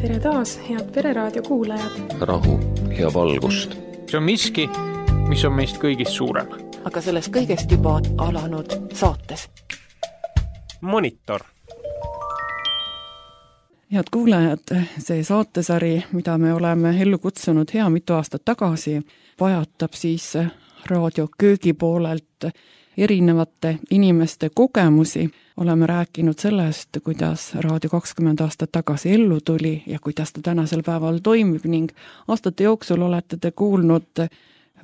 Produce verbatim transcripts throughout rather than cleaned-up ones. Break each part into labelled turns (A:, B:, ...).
A: Tere taas, head Pereraadio kuulajad.
B: Rahu ja valgust.
C: See on miski, mis on meist kõigist suurem.
D: Aga sellest kõigest juba alanud saates.
C: Monitor.
E: Head kuulajad, see saatesari, mida me oleme ellu kutsunud hea mitu aastat tagasi, vajatab siis raadio köögi poolelt erinevate inimeste kogemusi. Oleme rääkinud sellest, kuidas Raadio kakskümmend aastat tagasi ellu tuli ja kuidas ta tänasel päeval toimib ning aastate jooksul olete te kuulnud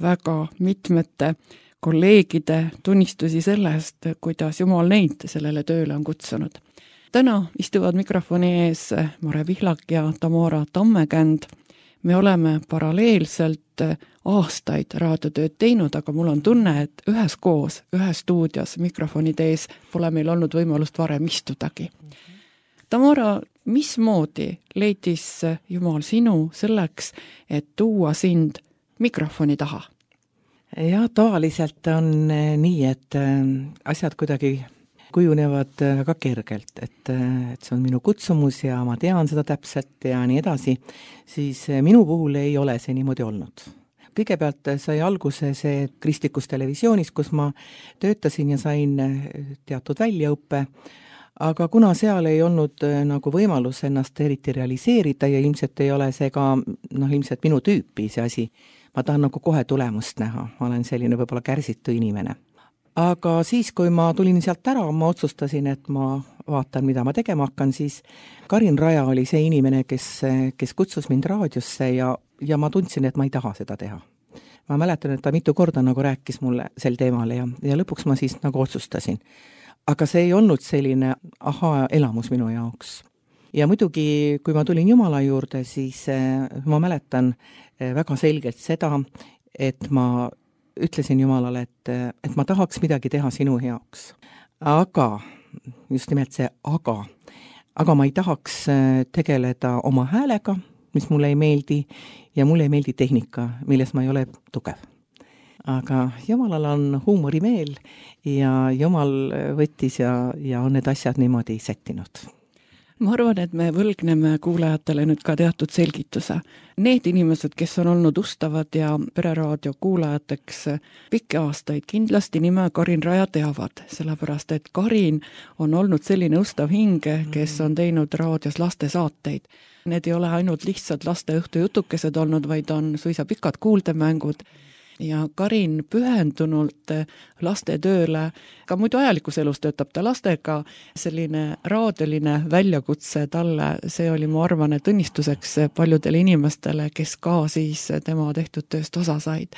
E: väga mitmete kolleegide tunnistusi sellest, kuidas Jumal neid sellele tööle on kutsunud. Täna istuvad mikrofoni ees Mare Pihlak ja Tamara Tammekänd. Me oleme paralleelselt aastaid raadiotööd teinud, aga mul on tunne, et ühes koos, ühes stuudios mikrofonide ees pole meil olnud võimalust varem istudagi. Tamara, mismoodi leidis Jumal sinu selleks, et tuua sind mikrofoni taha?
F: Ja tavaliselt on nii, et asjad kuidagi kujunevad väga kergelt, et, et see on minu kutsumus ja ma tean seda täpselt ja nii edasi, siis minu puhul ei ole see niimoodi olnud. Kõigepealt sai alguse see kristlikus televisioonis, kus ma töötasin ja sain teatud väljaõppe, aga kuna seal ei olnud nagu võimalus ennast eriti realiseerida ja ilmselt ei ole see ka noh, ilmselt minu tüüpi see asi, ma tahan nagu kohe tulemust näha, ma olen selline võib-olla kärsitu inimene. Aga siis, kui ma tulin sealt ära, ma otsustasin, et ma vaatan, mida ma tegema hakkan, siis Karin Raja oli see inimene, kes, kes kutsus mind raadiosse ja, ja ma tundsin, et ma ei taha seda teha. Ma mäletan, et ta mitu korda nagu rääkis mulle sel teemal ja, ja lõpuks ma siis nagu otsustasin. Aga see ei olnud selline aha elamus minu jaoks. Ja muidugi, kui ma tulin Jumala juurde, siis ma mäletan väga selgelt seda, et ma ütlesin Jumalale, et, et ma tahaks midagi teha sinu heaks. Aga, just nimelt see aga, aga ma ei tahaks tegeleda oma häälega, mis mulle ei meeldi, ja mulle ei meeldi tehnika, milles ma ei ole tugev. Aga Jumalal on huumorimeel ja Jumal võttis ja, ja on need asjad niimoodi settinud.
E: Ma arvan, et me võlgneme kuulajatele nüüd ka teatud selgituse. Need inimesed, kes on olnud ustavad ja Pereraadio kuulajateks pikki aastaid, kindlasti nime Karin Raja teavad, sellepärast et Karin on olnud selline ustav hinge, kes on teinud raadios lastesaateid. Need ei ole ainult lihtsalt laste õhtujutukesed olnud, vaid on suisa pikad kuuldemängud. Ja Karin pühendunult laste tööle, ka muidu ajalikus elus töötab ta lastega, selline raadioline väljakutse talle, see oli, ma arvan, et õnnistuseks paljudele inimestele, kes ka siis tema tehtud tööst osa said.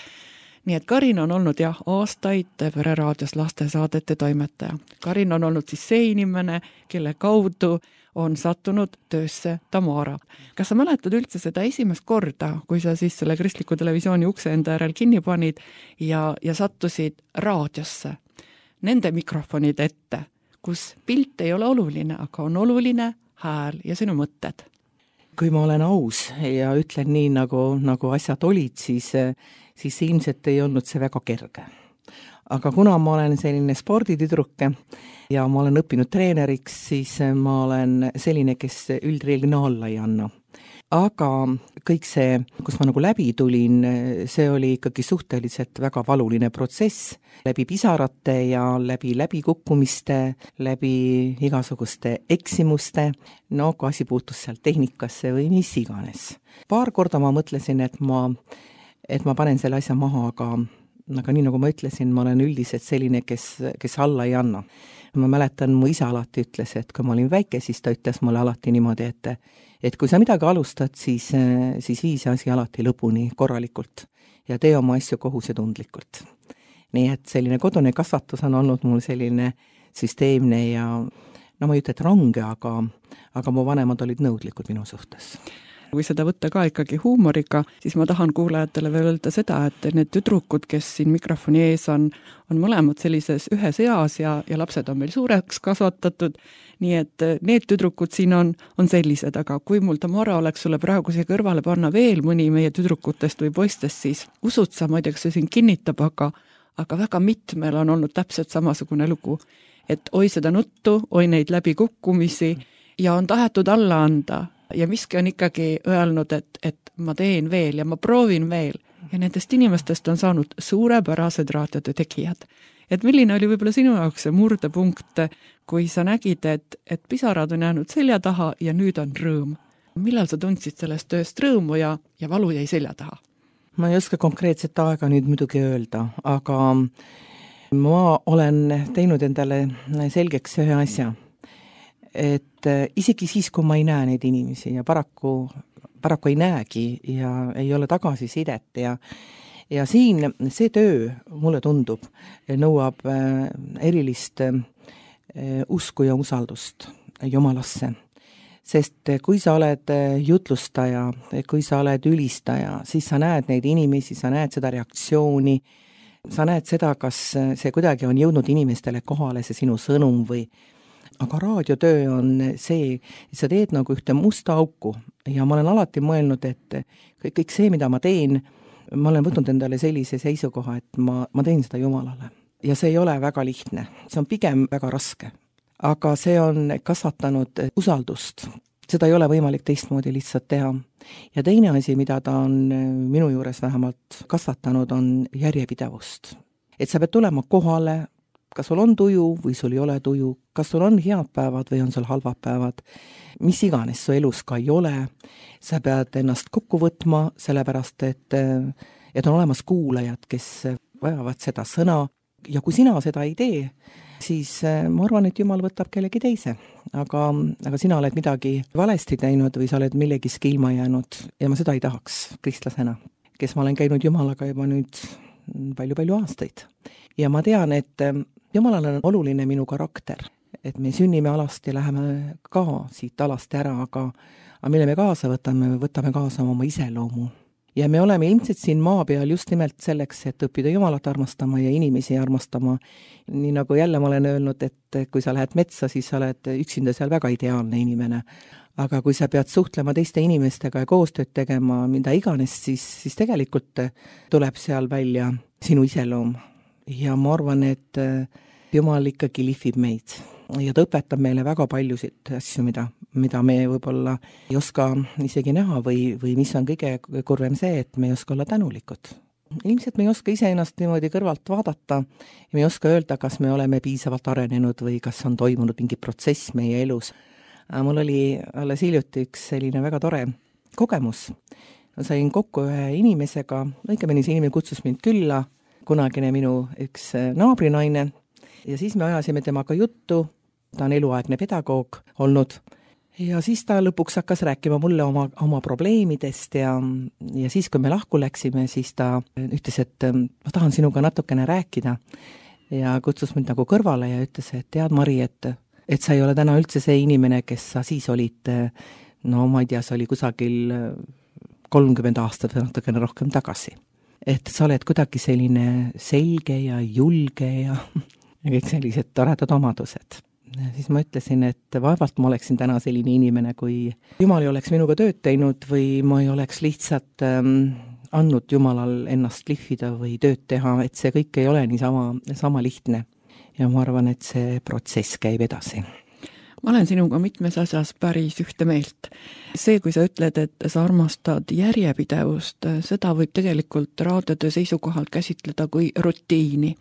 E: Nii et Karin on olnud jah aastaid Pereraadios lastesaadete toimetaja. Karin on olnud siis see inimene, kelle kaudu on sattunud töösse Tamara. Kas sa mäletad üldse seda esimest korda, kui sa siis selle kristliku televisiooni ukse enda järel kinni panid ja, ja sattusid raadiosse, nende mikrofonide ette, kus pilt ei ole oluline, aga on oluline hääl ja sinu mõtted?
F: Kui ma olen aus ja ütlen nii, nagu, nagu asjad olid, siis, siis ilmselt ei olnud see väga kerge. Aga kuna ma olen selline sporditüdruke ja ma olen õppinud treeneriks, siis ma olen selline, kes üldreeglina alla ei anna. Aga kõik see, kus ma nagu läbi tulin, see oli ikkagi suhteliselt väga valuline protsess, läbi pisarate ja läbi läbikukkumiste, läbi igasuguste eksimuste, no kui asi puutus seal tehnikasse või mis iganes. Paar korda ma mõtlesin, et ma, et ma panen selle asja maha, aga aga nii nagu ma ütlesin, ma olen üldiselt selline, kes, kes alla ei anna. Ma mäletan, mu isa alati ütles, et kui ma olin väike, siis ta ütles mulle alati niimoodi, et, et kui sa midagi alustad, siis, siis vii see asi alati lõpuni korralikult ja tee oma asju kohusetundlikult. Nii et selline kodune kasvatus on olnud mul selline süsteemne ja no ma ei ütle, et range, aga, aga mu vanemad olid nõudlikud minu suhtes.
E: Kui seda võtta ka ikkagi huumoriga, siis ma tahan kuulajatele veel öelda seda, et need tüdrukud, kes siin mikrofoni ees on, on mõlemad sellises ühes eas ja, ja lapsed on meil suureks kasvatatud, nii et need tüdrukud siin on, on sellised, aga kui mul Tamara oleks sulle praegu siia kõrvale panna veel mõni meie tüdrukutest või poistest, siis usud sa, ma ei tea, kas see siin kinnitab, aga, aga väga mitmel on olnud täpselt samasugune lugu, et oi seda nuttu, oi neid läbikukkumisi ja on tahetud alla anda. ja miski on ikkagi öelnud, et, et ma teen veel ja ma proovin veel ja nendest inimestest on saanud suurepärased raadiotöö tegijad. Et milline oli võib-olla sinu jaoks see murdepunkt, kui sa nägid, et, et pisarad on jäänud selja taha ja nüüd on rõõm? Millal sa tundsid sellest tööst rõõmu ja, ja valu jäi selja taha?
F: Ma ei oska konkreetset aega nüüd muidugi öelda, aga ma olen teinud endale selgeks ühe asja, et isegi siis, kui ma ei näe neid inimesi ja paraku, paraku ei näegi ja ei ole tagasisidet ja ja siin see töö, mulle tundub, nõuab erilist usku ja usaldust Jumalasse. Sest kui sa oled jutlustaja, kui sa oled ülistaja, siis sa näed neid inimesi, sa näed seda reaktsiooni, sa näed seda, kas see kuidagi on jõudnud inimestele kohale, see sinu sõnum või aga raadiotöö on see, et sa teed nagu ühte musta auku ja ma olen alati mõelnud, et kõik, kõik see, mida ma teen, ma olen võtnud endale sellise seisukoha, et ma, ma teen seda Jumalale. Ja see ei ole väga lihtne, see on pigem väga raske. Aga see on kasvatanud usaldust. Seda ei ole võimalik teistmoodi lihtsalt teha. Ja teine asi, mida ta on minu juures vähemalt kasvatanud, on järjepidevust. Et sa pead tulema kohale, kas sul on tuju või sul ei ole tuju, kas sul on head päevad või on sul halvad päevad, mis iganes su elus ka ei ole, sa pead ennast kokku võtma, sellepärast, et, et on olemas kuulajad, kes vajavad seda sõna ja kui sina seda ei tee, siis ma arvan, et Jumal võtab kellegi teise, aga, aga sina oled midagi valesti teinud või sa oled millegiski ilma jäänud ja ma seda ei tahaks kristlasena, kes ma olen käinud Jumalaga juba nüüd palju-palju aastaid. Ja ma tean, et Jumalal on oluline minu karakter, et me sünnime alast ja läheme ka siit alast ära, aga, aga mille me kaasa võtame, võtame kaasa oma iseloomu. Ja me oleme ilmselt siin maa peal just nimelt selleks, et õppida Jumalat armastama ja inimesi armastama. Nii nagu jälle ma olen öelnud, et kui sa lähed metsa, siis sa oled üksinda seal väga ideaalne inimene. Aga kui sa pead suhtlema teiste inimestega ja koostööd tegema, mida iganes, siis, siis tegelikult tuleb seal välja sinu iseloom. Ja ma arvan, et Jumal ikkagi lihvib meid ja ta õpetab meile väga paljusid asju, mida, mida me võib-olla ei oska isegi näha või, või mis on kõige kurvem see, et me ei oska olla tänulikud. Ilmselt me ei oska ise ennast niimoodi kõrvalt vaadata ja me ei oska öelda, kas me oleme piisavalt arenenud või kas on toimunud mingi protsess meie elus. Mul oli alles hiljuti üks selline väga tore kogemus. Ma sain kokku ühe inimesega, õigemini see inimene kutsus mind külla, kunagine minu üks naabrinaine ja siis me ajasime temaga juttu. Ta on eluaegne pedagoog olnud ja siis ta lõpuks hakkas rääkima mulle oma, oma probleemidest ja, ja siis, kui me lahku läksime, siis ta ütles, et ma tahan sinuga natukene rääkida ja kutsus mind nagu kõrvale ja ütles, et tead Mari, et, et sa ei ole täna üldse see inimene, kes sa siis olid, no ma ei tea, see oli kusagil kolmkümmend aastat või natukene rohkem tagasi. Et sa oled kuidagi selline selge ja julge ja, ja kõik sellised toredad omadused. Ja siis ma ütlesin, et vaevalt ma oleksin täna selline inimene, kui Jumal ei oleks minuga tööd teinud või ma ei oleks lihtsalt ähm, andnud Jumalal ennast lihvida või tööd teha, et see kõik ei ole nii sama, sama lihtne. Ja ma arvan, et see protsess käib edasi.
E: Ma olen sinuga mitmes asjas päris ühte meelt. See, kui sa ütled, et sa armastad järjepidevust, seda võib tegelikult raadiotöö seisukohalt käsitleda kui rutiini.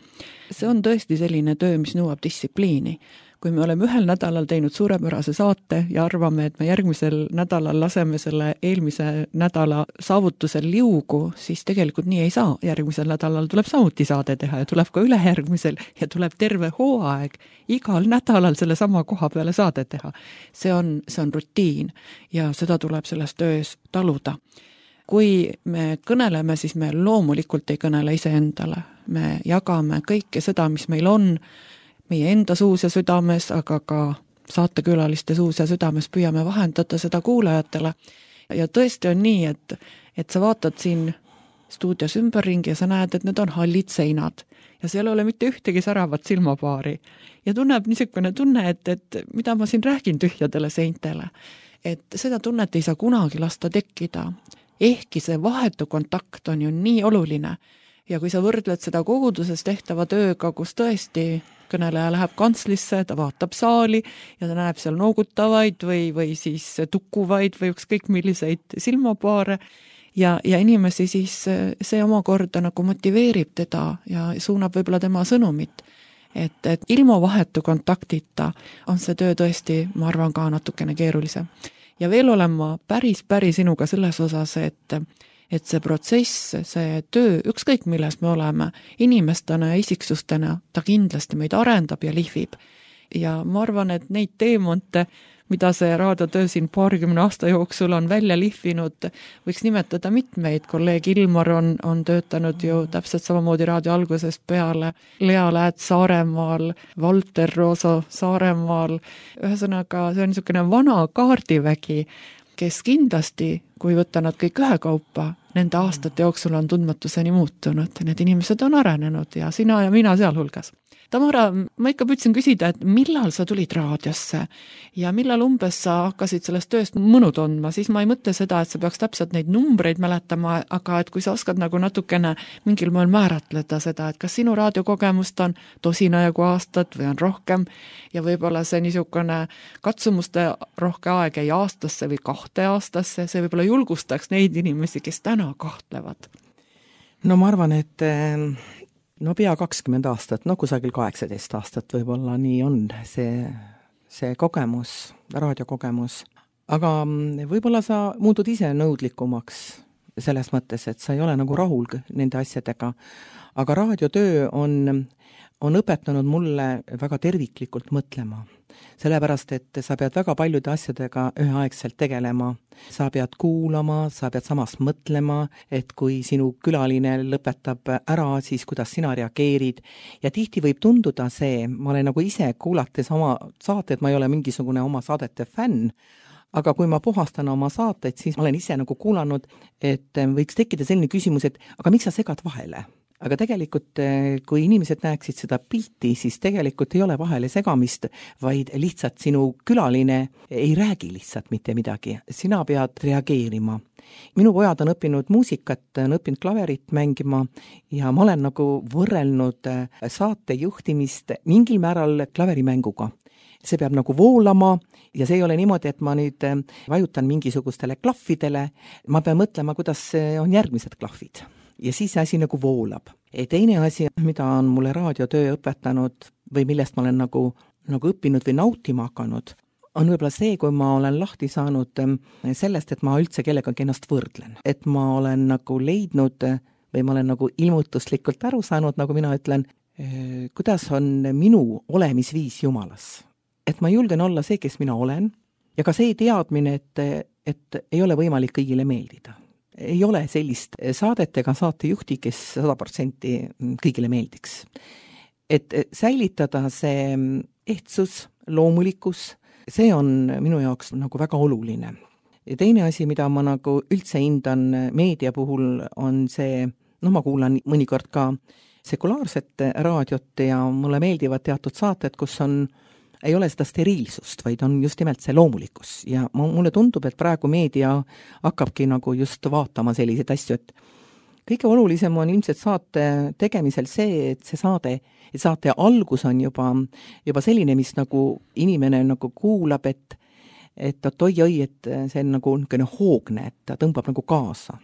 E: See on tõesti selline töö, mis nõuab distsipliini. Kui me oleme ühel nädalal teinud suurepärase saate ja arvame, et me järgmisel nädalal laseme selle eelmise nädala saavutusel liugu, siis tegelikult nii ei saa. Järgmisel nädalal tuleb samuti saade teha ja tuleb ka ülejärgmisel ja tuleb terve hooaeg igal nädalal selle sama koha peale saade teha. See on, see on rutiin ja seda tuleb selles töös taluda. Kui me kõneleme, siis me loomulikult ei kõnele iseendale. Me jagame kõike seda, mis meil on, meie enda suus ja südames, aga ka saatekülaliste suus ja südames püüame vahendada seda kuulajatele. Ja tõesti on nii, et, et sa vaatad siin stuudios ümberringi ja sa näed, et need on hallid seinad ja seal ei ole mitte ühtegi säravat silmapaari. Ja tunneb niisugune tunne, et, et mida ma siin räägin tühjadele seintele. Et seda tunnet ei saa kunagi lasta tekkida. Ehkki see vahetu kontakt on ju nii oluline. Ja kui sa võrdled seda koguduses tehtava tööga, kus tõesti kõneleja läheb kantslisse, ta vaatab saali ja ta näeb seal noogutavaid või, või siis tukkuvaid või ükskõik milliseid silmapaare ja, ja inimesi siis see omakorda nagu motiveerib teda ja suunab võib-olla tema sõnumit. Et, et ilma vahetu kontaktita on see töö tõesti, ma arvan, ka natukene keerulisem. Ja veel olen ma päris, päris sinuga selles osas, et et see protsess, see töö, ükskõik milles me oleme, inimestena ja isiksustena, ta kindlasti meid arendab ja lihvib. Ja ma arvan, et neid teemonte, mida see raadiotöö siin paarikümne aasta jooksul on välja lihvinud, võiks nimetada mitmeid. Kolleeg Ilmar on, on töötanud ju täpselt samamoodi raadio algusest peale, Lea Läät Saaremaal, Valter Rooso Saaremaal. Ühesõnaga, see on niisugune vana kaardivägi, kes kindlasti, kui võtta nad kõik ühekaupa, nende aastate jooksul on tundmatuseni muutunud. Need inimesed on arenenud ja sina ja mina sealhulgas. Tamara, ma ikka püüdsin küsida, et millal sa tulid raadiosse ja millal umbes sa hakkasid sellest tööst mõnu tundma, siis ma ei mõtle seda, et sa peaks täpselt neid numbreid mäletama, aga et kui sa oskad nagu natukene mingil moel määratleda seda, et kas sinu raadiokogemust on tosina jagu aastat või on rohkem ja võib-olla see niisugune katsumuste rohke aeg ei aastasse või kahte aastasse, see võib-olla julgustaks neid inimesi, kes täna kahtlevad.
F: No ma arvan, et no pea kakskümmend aastat, no kusagil kaheksateist aastat võib-olla nii on see, see kogemus, raadiokogemus. Aga võib-olla sa muutud ise nõudlikumaks selles mõttes, et sa ei ole nagu rahul nende asjadega. Aga raadiotöö on, on õpetanud mulle väga terviklikult mõtlema. Sellepärast, et sa pead väga paljude asjadega üheaegselt tegelema. Sa pead kuulama, sa pead samas mõtlema, et kui sinu külaline lõpetab ära, siis kuidas sina reageerid. Ja tihti võib tunduda see, ma olen nagu ise kuulates oma saated, ma ei ole mingisugune oma saadete fänn, aga kui ma puhastan oma saateid, siis ma olen ise nagu kuulanud, et võiks tekkida selline küsimus, et aga miks sa segad vahele? Aga tegelikult, kui inimesed näeksid seda pilti, siis tegelikult ei ole vahele segamist, vaid lihtsalt sinu külaline ei räägi lihtsalt mitte midagi. Sina pead reageerima. Minu pojad on õppinud muusikat, on õppinud klaverit mängima ja ma olen nagu võrrelnud saate juhtimist mingil määral klaverimänguga. See peab nagu voolama ja see ei ole niimoodi, et ma nüüd vajutan mingisugustele klahvidele. Ma pean mõtlema, kuidas on järgmised klahvid. Ja siis see asi nagu voolab. Ja teine asi, mida on mulle raadiotöö õpetanud või millest ma olen nagu, nagu õppinud või nautima hakanud, on võib-olla see, kui ma olen lahti saanud sellest, et ma üldse kellegagi ennast võrdlen. Et ma olen nagu leidnud või ma olen nagu ilmutuslikult aru saanud, nagu mina ütlen, kuidas on minu olemisviis Jumalas. Et ma julgen olla see, kes mina olen ja ka see teadmine, et, et ei ole võimalik kõigile meeldida. Ei ole sellist saadet ega saatejuhti, kes sada protsenti kõigile meeldiks. Et säilitada see ehtsus, loomulikkus, see on minu jaoks nagu väga oluline. Ja teine asi, mida ma nagu üldse hindan meedia puhul, on see, noh ma kuulan mõnikord ka sekulaarset raadiot ja mulle meeldivad teatud saated, kus on ei ole seda steriilsust, vaid on just nimelt see loomulikkus. Ja mulle tundub, et praegu meedia hakkabki nagu just vaatama selliseid asju, et kõige olulisem on ilmselt saate tegemisel see, et see saade, et saate algus on juba, juba selline, mis nagu inimene nagu kuulab, et, et oi-oi, et see on nagu niisugune hoogne, et ta tõmbab nagu kaasa.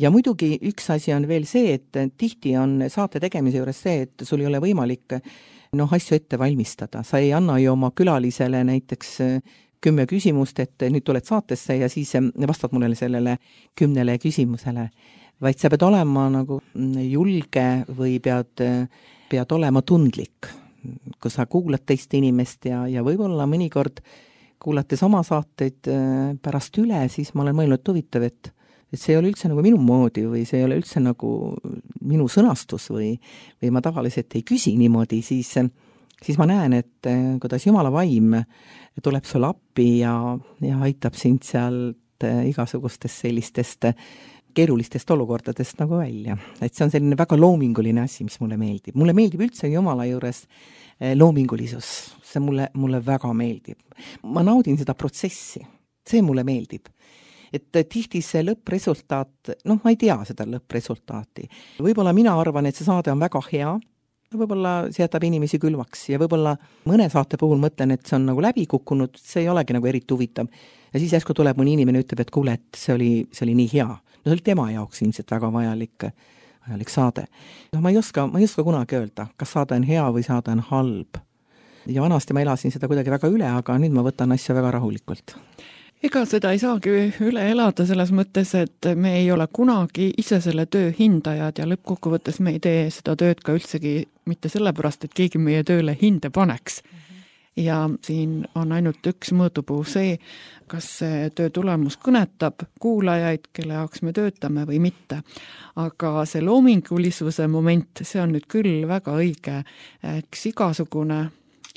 F: Ja muidugi üks asi on veel see, et tihti on saate tegemise juures see, et sul ei ole võimalik noh, asju ette valmistada. Sa ei anna ju oma külalisele näiteks kümme küsimust, et nüüd tuled saatesse ja siis vastad mulle sellele kümnele küsimusele. Vaid sa pead olema nagu julge või pead, pead olema tundlik, kui sa kuulad teist inimest ja, ja võib-olla mõnikord kuulates oma saateid pärast üle, siis ma olen mõelnud huvitav, et et see ei ole üldse nagu minu moodi või see ei ole üldse nagu minu sõnastus või, või ma tavaliselt ei küsi niimoodi, siis, siis ma näen, et kuidas Jumala vaim tuleb sul appi ja, ja aitab sind sealt igasugustest sellistest keerulistest olukordadest nagu välja. Et see on selline väga loominguline asi, mis mulle meeldib. Mulle meeldib üldse Jumala juures loomingulisus. See mulle, mulle väga meeldib. Ma naudin seda protsessi. See mulle meeldib. Et tihti see lõppresultaat, noh, ma ei tea seda lõppresultaati. Võib-olla mina arvan, et see saade on väga hea võib-olla see jätab inimesi külmaks ja võib-olla mõne saate puhul mõtlen, et see on nagu läbi kukkunud, see ei olegi nagu eriti huvitav. Ja siis järsku tuleb mõni inimene ütleb, et kuule, et see oli, see oli nii hea. No see oli tema jaoks ilmselt väga vajalik, vajalik saade. No ma ei oska, ma ei oska kunagi öelda, kas saade on hea või saade on halb. Ja vanasti ma elasin seda kuidagi väga üle, aga nüüd ma võtan asja väga rahulikult.
E: Ega seda ei saagi üle elada selles mõttes, et me ei ole kunagi ise selle töö hindajad ja lõppkokkuvõttes me ei tee seda tööd ka üldsegi mitte sellepärast, et keegi meie tööle hinde paneks. Ja siin on ainult üks mõõdupuu see, kas see töö tulemus kõnetab kuulajaid, kelle jaoks me töötame või mitte. Aga see loomingulisuse moment, see on nüüd küll väga õige, eks igasugune,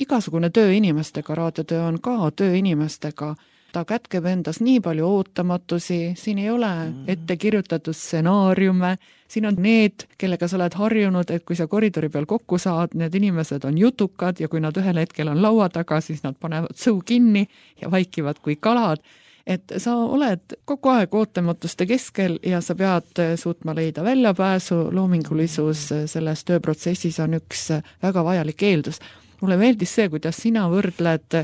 E: igasugune töö inimestega, raadiotöö on ka töö inimestega, ta kätkeb endas nii palju ootamatusi, siin ei ole ette kirjutatud stsenaariume, siin on need, kellega sa oled harjunud, et kui sa koridori peal kokku saad, need inimesed on jutukad ja kui nad ühel hetkel on laua taga, siis nad panevad suu kinni ja vaikivad kui kalad. Et sa oled kogu aeg ootamatuste keskel ja sa pead suutma leida väljapääsu, loomingulisus selles tööprotsessis on üks väga vajalik eeldus. Mulle meeldis see, kuidas sina võrdled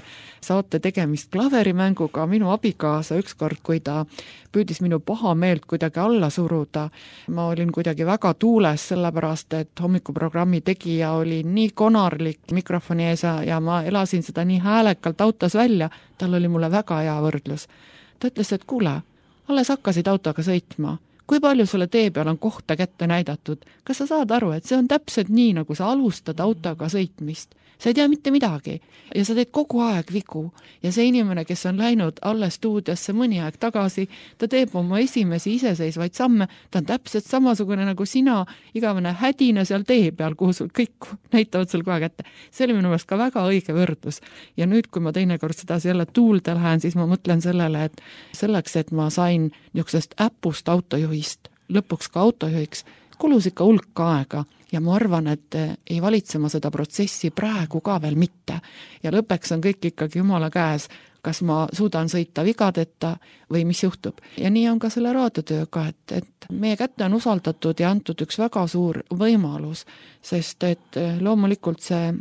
E: saate tegemist klaverimänguga, minu abikaasa ükskord, kui ta püüdis minu paha meelt kuidagi alla suruda. Ma olin kuidagi väga tuules sellepärast, et hommikuprogrammi tegija oli nii konarlik mikrofoni ees ja ma elasin seda nii häälekalt autos välja, tal oli mulle väga hea võrdlus. Ta ütles, et kuule, alles hakkasid autoga sõitma. Kui palju sulle tee peal on kohta kätte näidatud? Kas sa saad aru, et see on täpselt nii, nagu sa alustad autoga sõitmist? Sa ei tea mitte midagi ja sa teed kogu aeg vigu ja see inimene, kes on läinud alles stuudiosse mõni aeg tagasi, ta teeb oma esimesi iseseisvaid samme, ta on täpselt samasugune nagu sina, igavene hädine seal tee peal, kuhu sul kõik näitavad sul kohe kätte. See oli minu meelest ka väga õige võrdlus ja nüüd, kui ma teinekord seda jälle tuulde lähen, siis ma mõtlen sellele, et selleks, et ma sain niisugusest äpust autojuhist, lõpuks ka autojuhiks, kulus ikka hulk aega ja ma arvan, et ei valitsema seda protsessi praegu ka veel mitte. Ja lõpeks on kõik ikkagi jumala käes, kas ma suudan sõita vigadeta või mis juhtub. Ja nii on ka selle raadiotööga, et, et meie kätte on usaldatud ja antud üks väga suur võimalus, sest et loomulikult see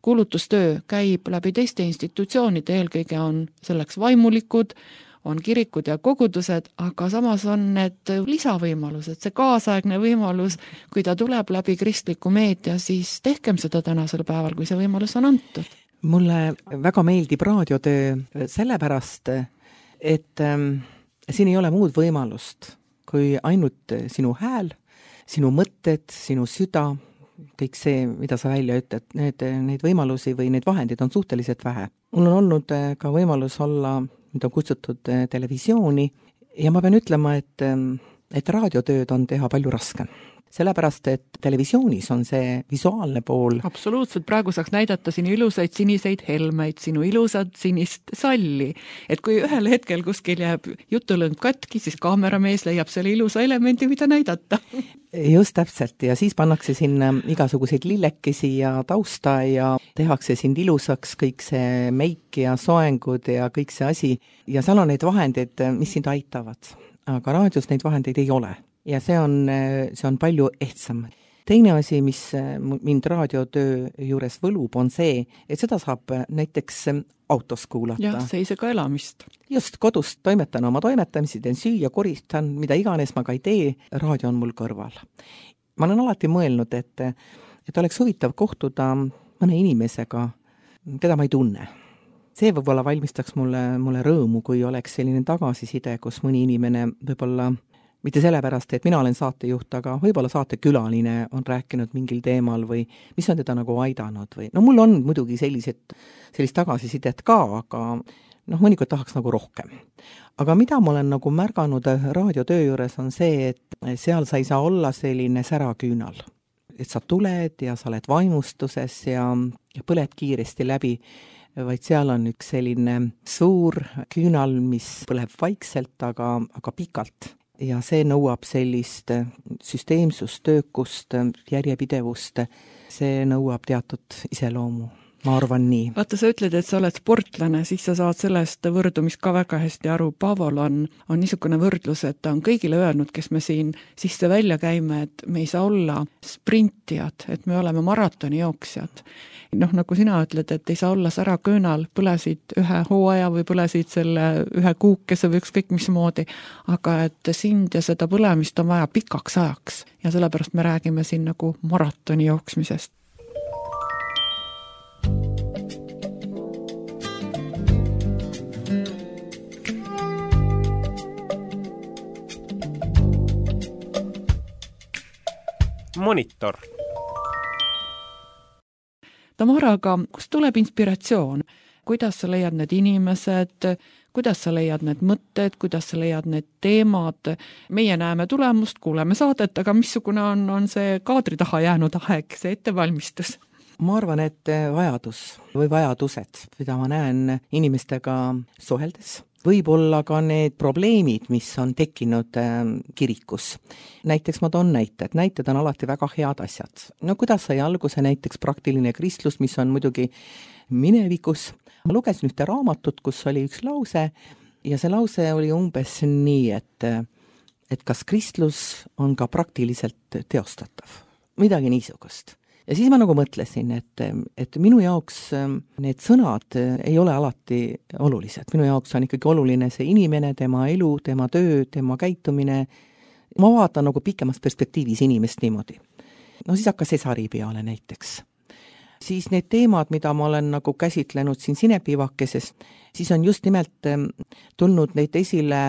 E: kuulutustöö käib läbi teiste institutsioonide, eelkõige on selleks vaimulikud, on kirikud ja kogudused, aga samas on need lisavõimalused, see kaasaegne võimalus, kui ta tuleb läbi kristliku meedia, siis tehkem seda tänasel päeval, kui see võimalus on antud.
F: Mulle väga meeldib raadiotöö sellepärast, et ähm, siin ei ole muud võimalust, kui ainult sinu hääl, sinu mõtted, sinu süda, kõik see, mida sa välja ütled, need, neid võimalusi või neid vahendid on suhteliselt vähe. Mul on olnud ka võimalus olla nüüd on kutsutud televisiooni ja ma pean ütlema, et, et raadiotööd on teha palju raskem. Sellepärast, et televisioonis on see visuaalne pool.
E: Absoluutselt, praegu saaks näidata sinu ilusaid siniseid helmeid, sinu ilusad sinist salli. Et kui ühel hetkel kuskil jääb jutulõng katki, siis kaameramees leiab selle ilusa elemendi, mida näidata.
F: Just täpselt ja siis pannakse sinna igasuguseid lillekesi ja tausta ja tehakse sind ilusaks kõik see meik ja soengud ja kõik see asi. Ja seal on neid vahendeid, mis sind aitavad, aga raadios neid vahendeid ei ole. Ja see on, see on palju ehtsam. Teine asi, mis mind raadiotöö juures võlub, on see, et seda saab näiteks autos kuulata.
E: Jah, seisega elamist.
F: Just, kodust toimetan oma toimetamisi, teen süüa, koristan, mida iganes ma ka ei tee, raadio on mul kõrval. Ma olen alati mõelnud, et, et oleks huvitav kohtuda mõne inimesega, keda ma ei tunne. See võib-olla valmistaks mulle, mulle rõõmu, kui oleks selline tagasiside, kus mõni inimene võib-olla mitte sellepärast, et mina olen saatejuht, aga võib-olla saatekülaline on rääkinud mingil teemal või mis on teda nagu aidanud või no mul on muidugi sellised, sellist tagasisidet ka, aga noh, mõnikord tahaks nagu rohkem. Aga mida ma olen nagu märganud raadiotöö juures on see, et seal sa ei saa olla selline säraküünal. Et sa tuled ja sa oled vaimustuses ja, ja põled kiiresti läbi, vaid seal on üks selline suur küünal, mis põleb vaikselt, aga, aga pikalt. Ja see nõuab sellist süsteemsust, töökust, järjepidevust, see nõuab teatud iseloomu. ma arvan nii.
E: Vaata, sa ütled, et sa oled sportlane, siis sa saad sellest võrdumist ka väga hästi aru. Paavol on, on niisugune võrdlus, et ta on kõigile öelnud, kes me siin sisse välja käime, et me ei saa olla sprintijad, et me oleme maratoni jooksjad. Noh, nagu sina ütled, et ei saa olla sära köönal, põlesid ühe hooaja või põlesid selle ühe kuukese või ükskõik mismoodi, aga et sind ja seda põlemist on vaja pikaks ajaks ja sellepärast me räägime siin nagu maratoni jooksmisest.
C: Monitor.
E: Tamara, aga kust tuleb inspiratsioon? Kuidas sa leiad need inimesed, kuidas sa leiad need mõtted, kuidas sa leiad need teemad? Meie näeme tulemust, kuuleme saadet, aga missugune on, on see kaadri taha jäänud aeg, see ettevalmistus?
F: Ma arvan, et vajadus või vajadused, mida ma näen inimestega suheldes, võib-olla ka need probleemid, mis on tekkinud kirikus. Näiteks ma toon näited. Näited on alati väga head asjad. No kuidas sai alguse näiteks praktiline kristlus, mis on muidugi minevikus. Ma lugesin ühte raamatut, kus oli üks lause ja see lause oli umbes nii, et, et kas kristlus on ka praktiliselt teostatav. Midagi niisugust. Ja siis ma nagu mõtlesin, et, et minu jaoks need sõnad ei ole alati olulised. Minu jaoks on ikkagi oluline see inimene, tema elu, tema töö, tema käitumine. Ma vaatan nagu pikemas perspektiivis inimest niimoodi. No siis hakkas Esari peale näiteks. Siis need teemad, mida ma olen nagu käsitlenud siin Sinepivakeses, siis on just nimelt tulnud neid esile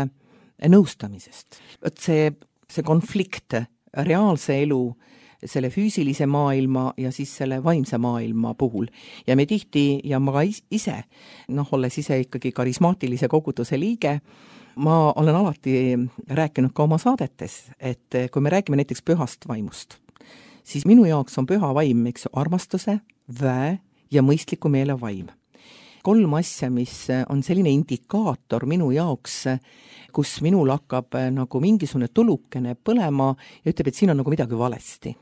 F: nõustamisest. Et see, see konflikt, reaalse elu, selle füüsilise maailma ja siis selle vaimse maailma puhul. Ja me tihti, ja ma ka ise, noh, olles ise ikkagi karismaatilise koguduse liige, ma olen alati rääkinud ka oma saadetes, et kui me räägime näiteks pühast vaimust, siis minu jaoks on püha vaim, eks, armastuse, väe ja mõistliku meele vaim. Kolm asja, mis on selline indikaator minu jaoks, kus minul hakkab nagu mingisugune tulukene põlema ja ütleb, et siin on nagu midagi valesti.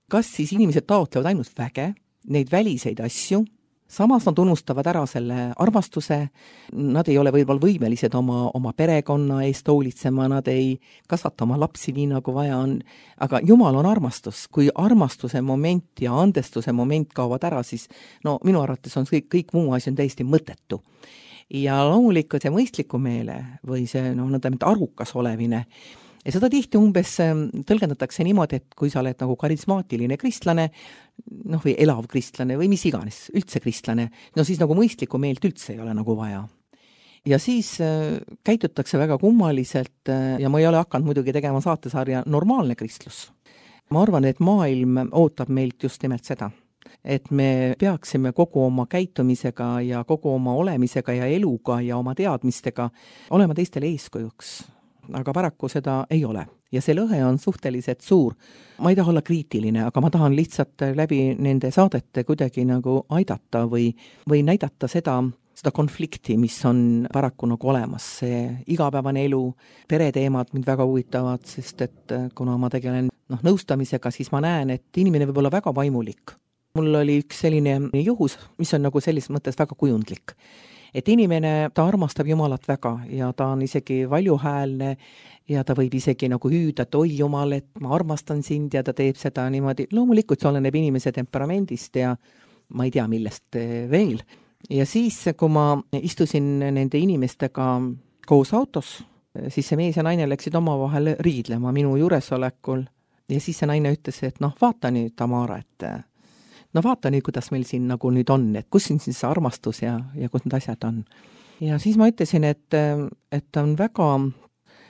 F: Kas siis inimesed taotlevad ainult väge, neid väliseid asju, samas nad unustavad ära selle armastuse, nad ei ole võib-olla võimelised oma, oma perekonna eest hoolitsema, nad ei kasvata oma lapsi nii nagu vaja on, aga Jumal on armastus. Kui armastuse moment ja andestuse moment kaovad ära, siis no minu arvates on kõik, kõik muu asi on täiesti mõttetu. Ja loomulikult see mõistliku meele või see no, arukas olevine, ja seda tihti umbes tõlgendatakse niimoodi, et kui sa oled nagu karismaatiline kristlane, noh või elav kristlane või mis iganes, üldse kristlane, no siis nagu mõistlikku meelt üldse ei ole nagu vaja. Ja siis äh, käitutakse väga kummaliselt äh, ja ma ei ole hakanud muidugi tegema saatesarja normaalne kristlus. Ma arvan, et maailm ootab meilt just nimelt seda, et me peaksime kogu oma käitumisega ja kogu oma olemisega ja eluga ja oma teadmistega olema teistele eeskujuks. Aga paraku seda ei ole. Ja see lõhe on suhteliselt suur. Ma ei taha olla kriitiline, aga ma tahan lihtsalt läbi nende saadete kuidagi nagu aidata või, või näidata seda, seda konflikti, mis on paraku nagu olemas. See igapäevane elu, pereteemad mind väga huvitavad, sest et kuna ma tegelen noh, nõustamisega, siis ma näen, et inimene võib olla väga vaimulik. Mul oli üks selline juhus, mis on nagu selles mõttes väga kujundlik. Et inimene, ta armastab Jumalat väga ja ta on isegi valjuhäälne ja ta võib isegi nagu hüüda, et oi Jumal, et ma armastan sind ja ta teeb seda niimoodi. Loomulikult see oleneb inimese temperamendist ja ma ei tea millest veel. Ja siis, kui ma istusin nende inimestega koos autos, siis see mees ja naine läksid omavahel riidlema minu juuresolekul ja siis see naine ütles, et noh, vaata nüüd, Tamara, et no vaata nüüd, kuidas meil siin nagu nüüd on, et kus siin siis armastus ja, ja kus need asjad on. Ja siis ma ütlesin, et, et on väga,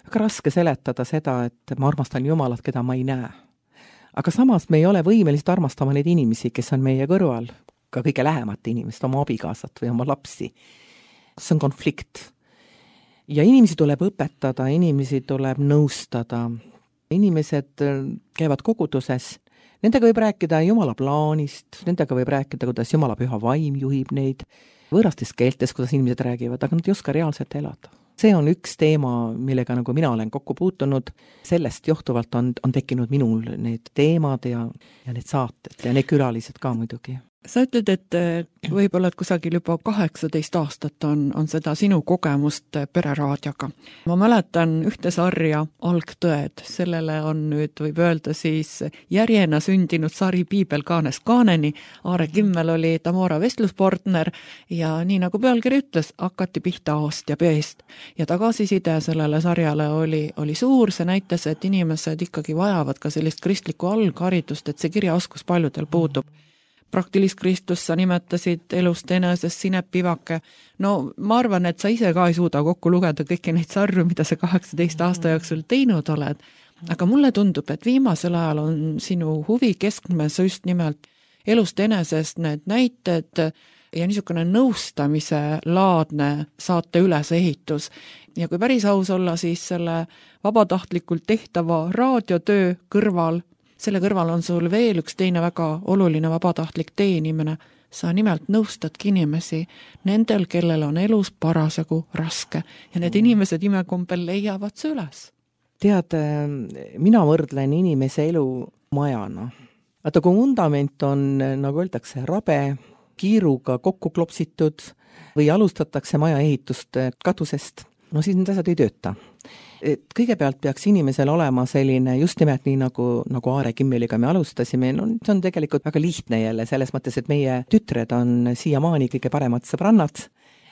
F: väga raske seletada seda, et ma armastan Jumalat, keda ma ei näe. Aga samas me ei ole võimelised armastama neid inimesi, kes on meie kõrval, ka kõige lähemat inimest, oma abikaasat või oma lapsi. See on konflikt. Ja inimesi tuleb õpetada, inimesi tuleb nõustada. Inimesed käivad koguduses. Nendega võib rääkida Jumala plaanist, nendega võib rääkida, kuidas Jumala püha vaim juhib neid, võõrastes keeltes, kuidas inimesed räägivad, aga nad ei oska reaalselt elada. See on üks teema, millega nagu mina olen kokku puutunud. Sellest johtuvalt on, on tekkinud minul need teemad ja, ja need saated ja need külalised ka muidugi.
E: Sa ütled, et võib-olla et kusagil juba kaheksateist aastat on, on seda sinu kogemust pereraadioga. Ma mäletan ühte sarja Algtõed, sellele on nüüd, võib öelda siis, järjena sündinud sari Piibel kaanest kaaneni. Aare Kimmel oli Tamora vestluspartner ja nii nagu pealkiri ütles, hakati pihta A-st ja B-st. Ja tagasiside sellele sarjale oli, oli suur, see näitas, et inimesed ikkagi vajavad ka sellist kristlikku algharidust, et see kirjaoskus paljudel puudub. Praktilist Kristus sa nimetasid elust enesest, Sinep Pivake. No ma arvan, et sa ise ka ei suuda kokku lugeda kõiki neid sarju, mida sa kaheksateist aasta jooksul teinud oled. Aga mulle tundub, et viimasel ajal on sinu huvi keskmes just nimelt elust enesest need näited ja niisugune nõustamise laadne saate ülesehitus. Ja kui päris aus olla, siis selle vabatahtlikult tehtava raadiotöö kõrval selle kõrval on sul veel üks teine väga oluline vabatahtlik teenimine. Sa nimelt nõustadki inimesi nendel, kellel on elus parasjagu raske ja need inimesed imekombel leiavad see üles.
F: Tead, mina võrdlen inimese elu majana. Vaata, kui vundament on, nagu öeldakse, rabe, kiiruga kokku klopsitud või alustatakse maja ehitust katusest, no siis need asjad ei tööta. Et kõigepealt peaks inimesel olema selline, just nimelt nii nagu, nagu Aare Kimmeliga me alustasime, no see on tegelikult väga lihtne jälle, selles mõttes, et meie tütred on siiamaani kõige paremad sõbrannad.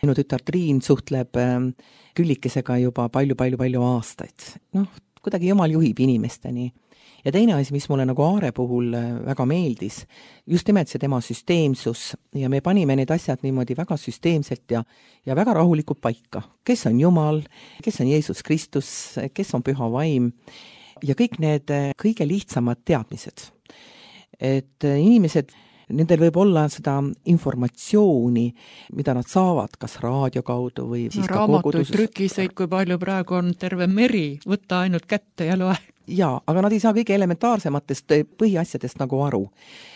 F: Minu tütar Triin suhtleb Küllikesega juba palju-palju-palju aastaid. Noh, kuidagi jumal juhib inimesteni. Ja teine asi, mis mulle nagu Aare puhul väga meeldis, just nimelt see tema süsteemsus ja me panime need asjad niimoodi väga süsteemselt ja, ja väga rahulikult paika. Kes on Jumal, kes on Jeesus Kristus, kes on Püha Vaim ja kõik need kõige lihtsamad teadmised. Et inimesed, nendel võib olla seda informatsiooni, mida nad saavad, kas raadio kaudu või siis no, ka
E: raamatuid, trükiseid, kui palju praegu on terve meri, võtta ainult kätte ja loe.
F: Jaa, aga nad ei saa kõige elementaarsematest põhiasjadest nagu aru.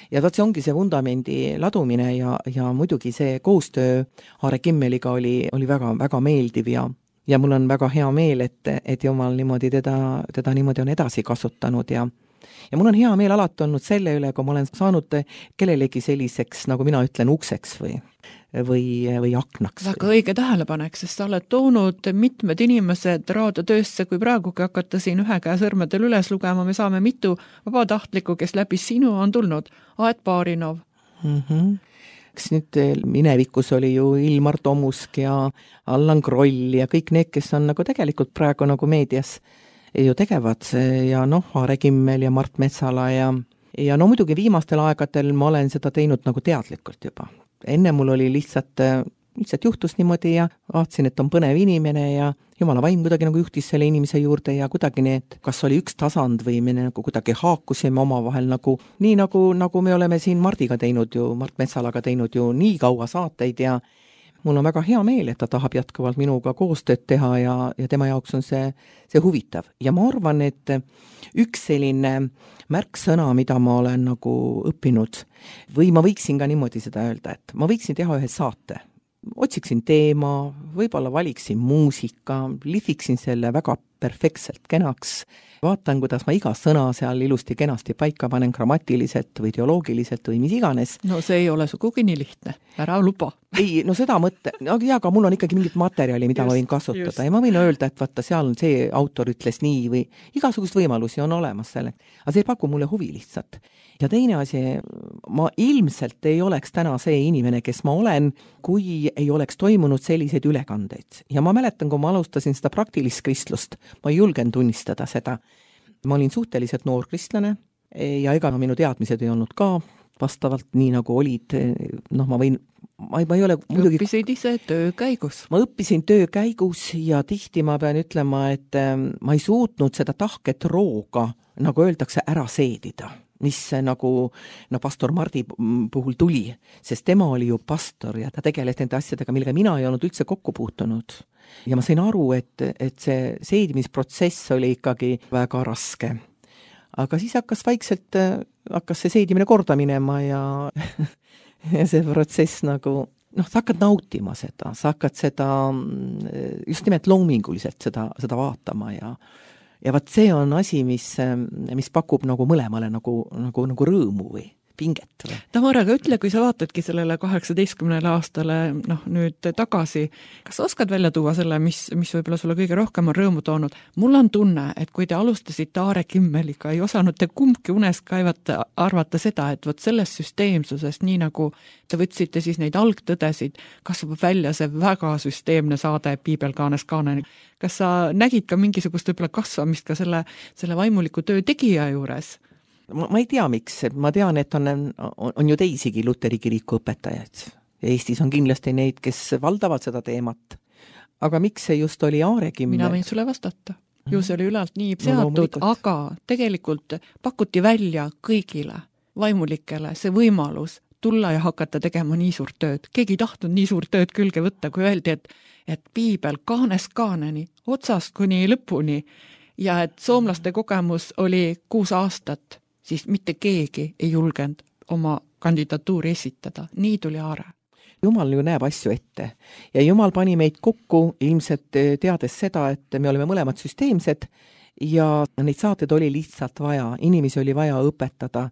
F: Ja vaat see ongi see vundamendi ladumine ja, ja muidugi see koostöö Aare Kimmeliga oli, oli väga, väga meeldiv ja, ja mul on väga hea meel, et, et Jumal niimoodi teda, teda niimoodi on edasi kasutanud ja Ja mul on hea meel alati olnud selle üle, kui ma olen saanud kellelegi selliseks, nagu mina ütlen, ukseks või, või, või aknaks.
E: Väga õige tähelepanek, sest sa oled toonud mitmed inimesed raadiotöösse, kui praegugi hakata siin ühe käe sõrmedel üles lugema, me saame mitu vabatahtlikku, kes läbi sinu on tulnud. Aet Baarinov.
F: Mhm. Eks nüüd minevikus oli ju Ilmar Tomusk ja Allan Kroll ja kõik need, kes on nagu tegelikult praegu nagu meedias ju tegevad ja noh, Aare Kimmel ja Mart Metsala ja, ja no muidugi viimastel aegadel ma olen seda teinud nagu teadlikult juba. Enne mul oli lihtsalt, lihtsalt juhtus niimoodi ja vaatasin, et on põnev inimene ja Jumala vaim kuidagi nagu juhtis selle inimese juurde ja kuidagi need, kas oli üks tasand või me nagu kuidagi haakusime oma vahel nagu, nii nagu, nagu me oleme siin Mardiga teinud ju, Mart Metsalaga teinud ju nii kaua saateid ja mul on väga hea meel, et ta tahab jätkuvalt minuga koostööd teha ja, ja tema jaoks on see, see huvitav. Ja ma arvan, et üks selline märksõna, mida ma olen nagu õppinud, või ma võiksin ka niimoodi seda öelda, et ma võiksin teha ühe saate. Otsiksin teema, võib-olla valiksin muusika, lihviksin selle väga perfektselt kenaks, vaatan, kuidas ma iga sõna seal ilusti kenasti paika panen grammatiliselt või teoloogiliselt või mis iganes.
E: No see ei ole sugugi nii lihtne, ära luba.
F: Ei, no seda mõtte, no jaa, aga mul on ikkagi mingit materjali, mida just, ma võin kasutada just. Ja ma võin öelda, et vaata, seal on see autor ütles nii või igasugust võimalusi on olemas selle. Aga see ei paku mulle huvi lihtsalt. Ja teine asi, ma ilmselt ei oleks täna see inimene, kes ma olen, kui ei oleks toimunud selliseid ülekandeid. Ja ma mäletan, kui ma alustasin seda praktilist kristlust, ma ei julgen tunnistada seda. Ma olin suhteliselt noor kristlane ja ega minu teadmised ei olnud ka vastavalt nii nagu olid, noh ma võin, ma ei, ma ei ole muidugi...
E: Õppisid ise töö käigus?
F: Ma õppisin töö käigus ja tihti ma pean ütlema, et ma ei suutnud seda tahket rooga, nagu öeldakse, ära seedida, mis nagu no, pastor Mardi puhul tuli, sest tema oli ju pastor ja ta tegeles nende asjadega, millega mina ei olnud üldse kokku puutunud. Ja ma sain aru, et, et see seedimisprotsess oli ikkagi väga raske. Aga siis hakkas vaikselt, hakkas see seedimine korda minema ja, ja see protsess nagu, noh, sa hakkad nautima seda, sa hakkad seda just nimelt loominguliselt seda, seda vaatama ja ja vaat see on asi, mis, mis pakub nagu mõlemale nagu, nagu, nagu rõõmu või pinget või?
E: Tamara, aga ütle, kui sa vaatadki sellele kaheksateistkümnele aastale noh, nüüd tagasi, kas sa oskad välja tuua selle, mis, mis võib-olla sulle kõige rohkem on rõõmu toonud? Mul on tunne, et kui te alustasite Aare Kimmeliga, ei osanud te kumbki unes kaevata, arvata seda, et vot sellest süsteemsusest, nii nagu te võtsite siis neid algtõdesid, kasvab välja see väga süsteemne saade Piibel Kaanes Kaaneni. Kas sa nägid ka mingisugust võib-olla kasvamist ka selle, selle vaimuliku töö tegija juures?
F: Ma, ma ei tea, miks. Ma tean, et on, on, on ju teisigi Luteri kiriku õpetajad. Eestis on kindlasti neid, kes valdavad seda teemat. Aga miks see just oli Aare Kimmel?
E: Mina võin sulle vastata. Ju see oli ülalt nii seatud, no, aga tegelikult pakuti välja kõigile vaimulikele see võimalus tulla ja hakata tegema nii suurt tööd. Keegi ei tahtnud nii suurt tööd külge võtta, kui öeldi, et, et Piibel Kaanes Kaaneni otsast kuni lõpuni ja et soomlaste kogemus oli kuus aastat, siis mitte keegi ei julgenud oma kandidatuuri esitada. Nii tuli Aare.
F: Jumal ju näeb asju ette ja Jumal pani meid kokku ilmselt teades seda, et me oleme mõlemad süsteemsed ja neid saated oli lihtsalt vaja. Inimesi oli vaja õpetada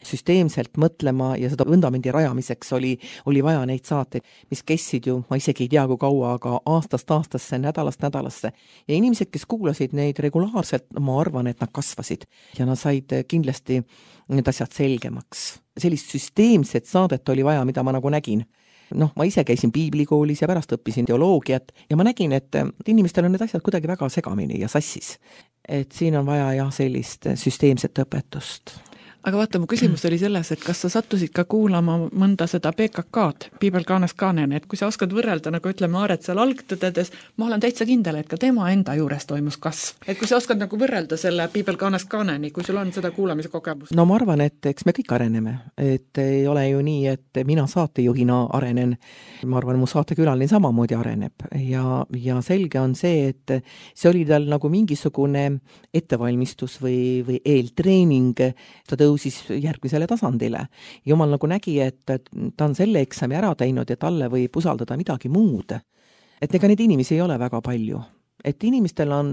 F: süsteemselt mõtlema ja seda vundamendi rajamiseks oli, oli vaja neid saateid, mis kestsid ju, ma isegi ei tea kui kaua, aga aastast aastasse, nädalast nädalasse. Ja inimesed, kes kuulasid neid regulaarselt, ma arvan, et nad kasvasid ja nad said kindlasti need asjad selgemaks. Sellist süsteemset saadet oli vaja, mida ma nagu nägin. Noh, ma ise käisin piiblikoolis ja pärast õppisin teoloogiat ja ma nägin, et inimestel on need asjad kuidagi väga segamini ja sassis. Et siin on vaja jah sellist süsteemset õpetust.
E: Aga vaata, mu küsimus oli selles, et kas sa sattusid ka kuulama mõnda seda P K K-d, Piibel Kaanes Kaaneni, et kui sa oskad võrrelda, nagu ütleme Aaret seal algtõdedes, ma olen täitsa kindel, et ka tema enda juures toimus kasv. Et kui sa oskad nagu võrrelda selle Piibel Kaanes Kaaneni, kui sul on seda kuulamise kogemus?
F: No ma arvan, et eks me kõik areneme. Et ei ole ju nii, et mina saatejuhina arenen. Ma arvan, mu saatekülaline samamoodi areneb. Ja, ja selge on see, et see oli tal nagu mingisugune ettevalmistus või, või eeltreening, ta tõus siis järgmisele tasandile. Jumal nagu nägi, et ta on selle eksami ära teinud ja talle võib usaldada midagi muud. Et ega neid inimesi ei ole väga palju. Et inimestel on,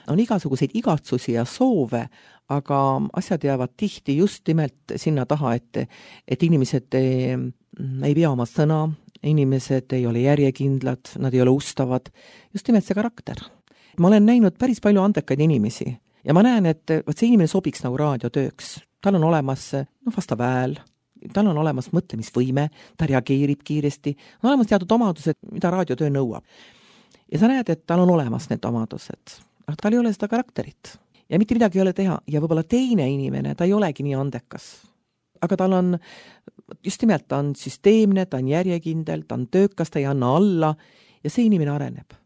F: on igasuguseid igatsusi ja soove, aga asjad jäävad tihti just nimelt sinna taha, et, et inimesed ei, ei pea oma sõna, inimesed ei ole järjekindlad, nad ei ole ustavad. Just nimelt see karakter. Ma olen näinud päris palju andekaid inimesi ja ma näen, et see inimene sobiks nagu raadiotööks. Tal on olemas no, vastav hääl, tal on olemas mõtlemisvõime, ta reageerib kiiresti, on olemas teatud omadused, mida raadiotöö nõuab. Ja sa näed, et tal on olemas need omadused, aga tal ei ole seda karakterit. Ja mitte midagi ei ole teha. Ja võib-olla teine inimene, ta ei olegi nii andekas. Aga tal on, just nimelt ta on süsteemne, ta on järjekindel, ta on töökas, ta ei anna alla ja see inimene areneb.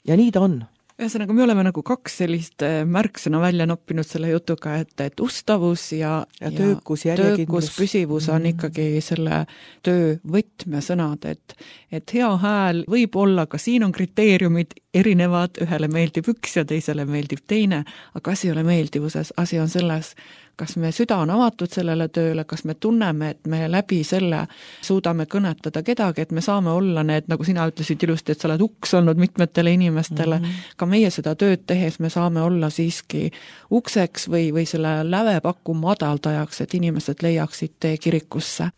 F: Ja nii ta on.
E: Ühesõnaga, me oleme nagu kaks sellist märksõna välja noppinud selle jutuga, et, et ustavus ja,
F: ja töökus, järjekindlus,
E: püsivus on ikkagi selle töö võtmesõnad, et, et hea hääl võib olla, ka siin on kriteeriumid erinevad, ühele meeldib üks ja teisele meeldib teine, aga asi ei ole meeldivuses, asi on selles, kas me süda on avatud sellele tööle, kas me tunneme, et me läbi selle suudame kõnetada kedagi, et me saame olla need, nagu sina ütlesid ilusti, et sa oled uks olnud mitmetele inimestele, mm -hmm. ka meie seda tööd tehes me saame olla siiski ukseks või, või selle lävepaku madaldajaks, et inimesed leiaksid tee kirikusse.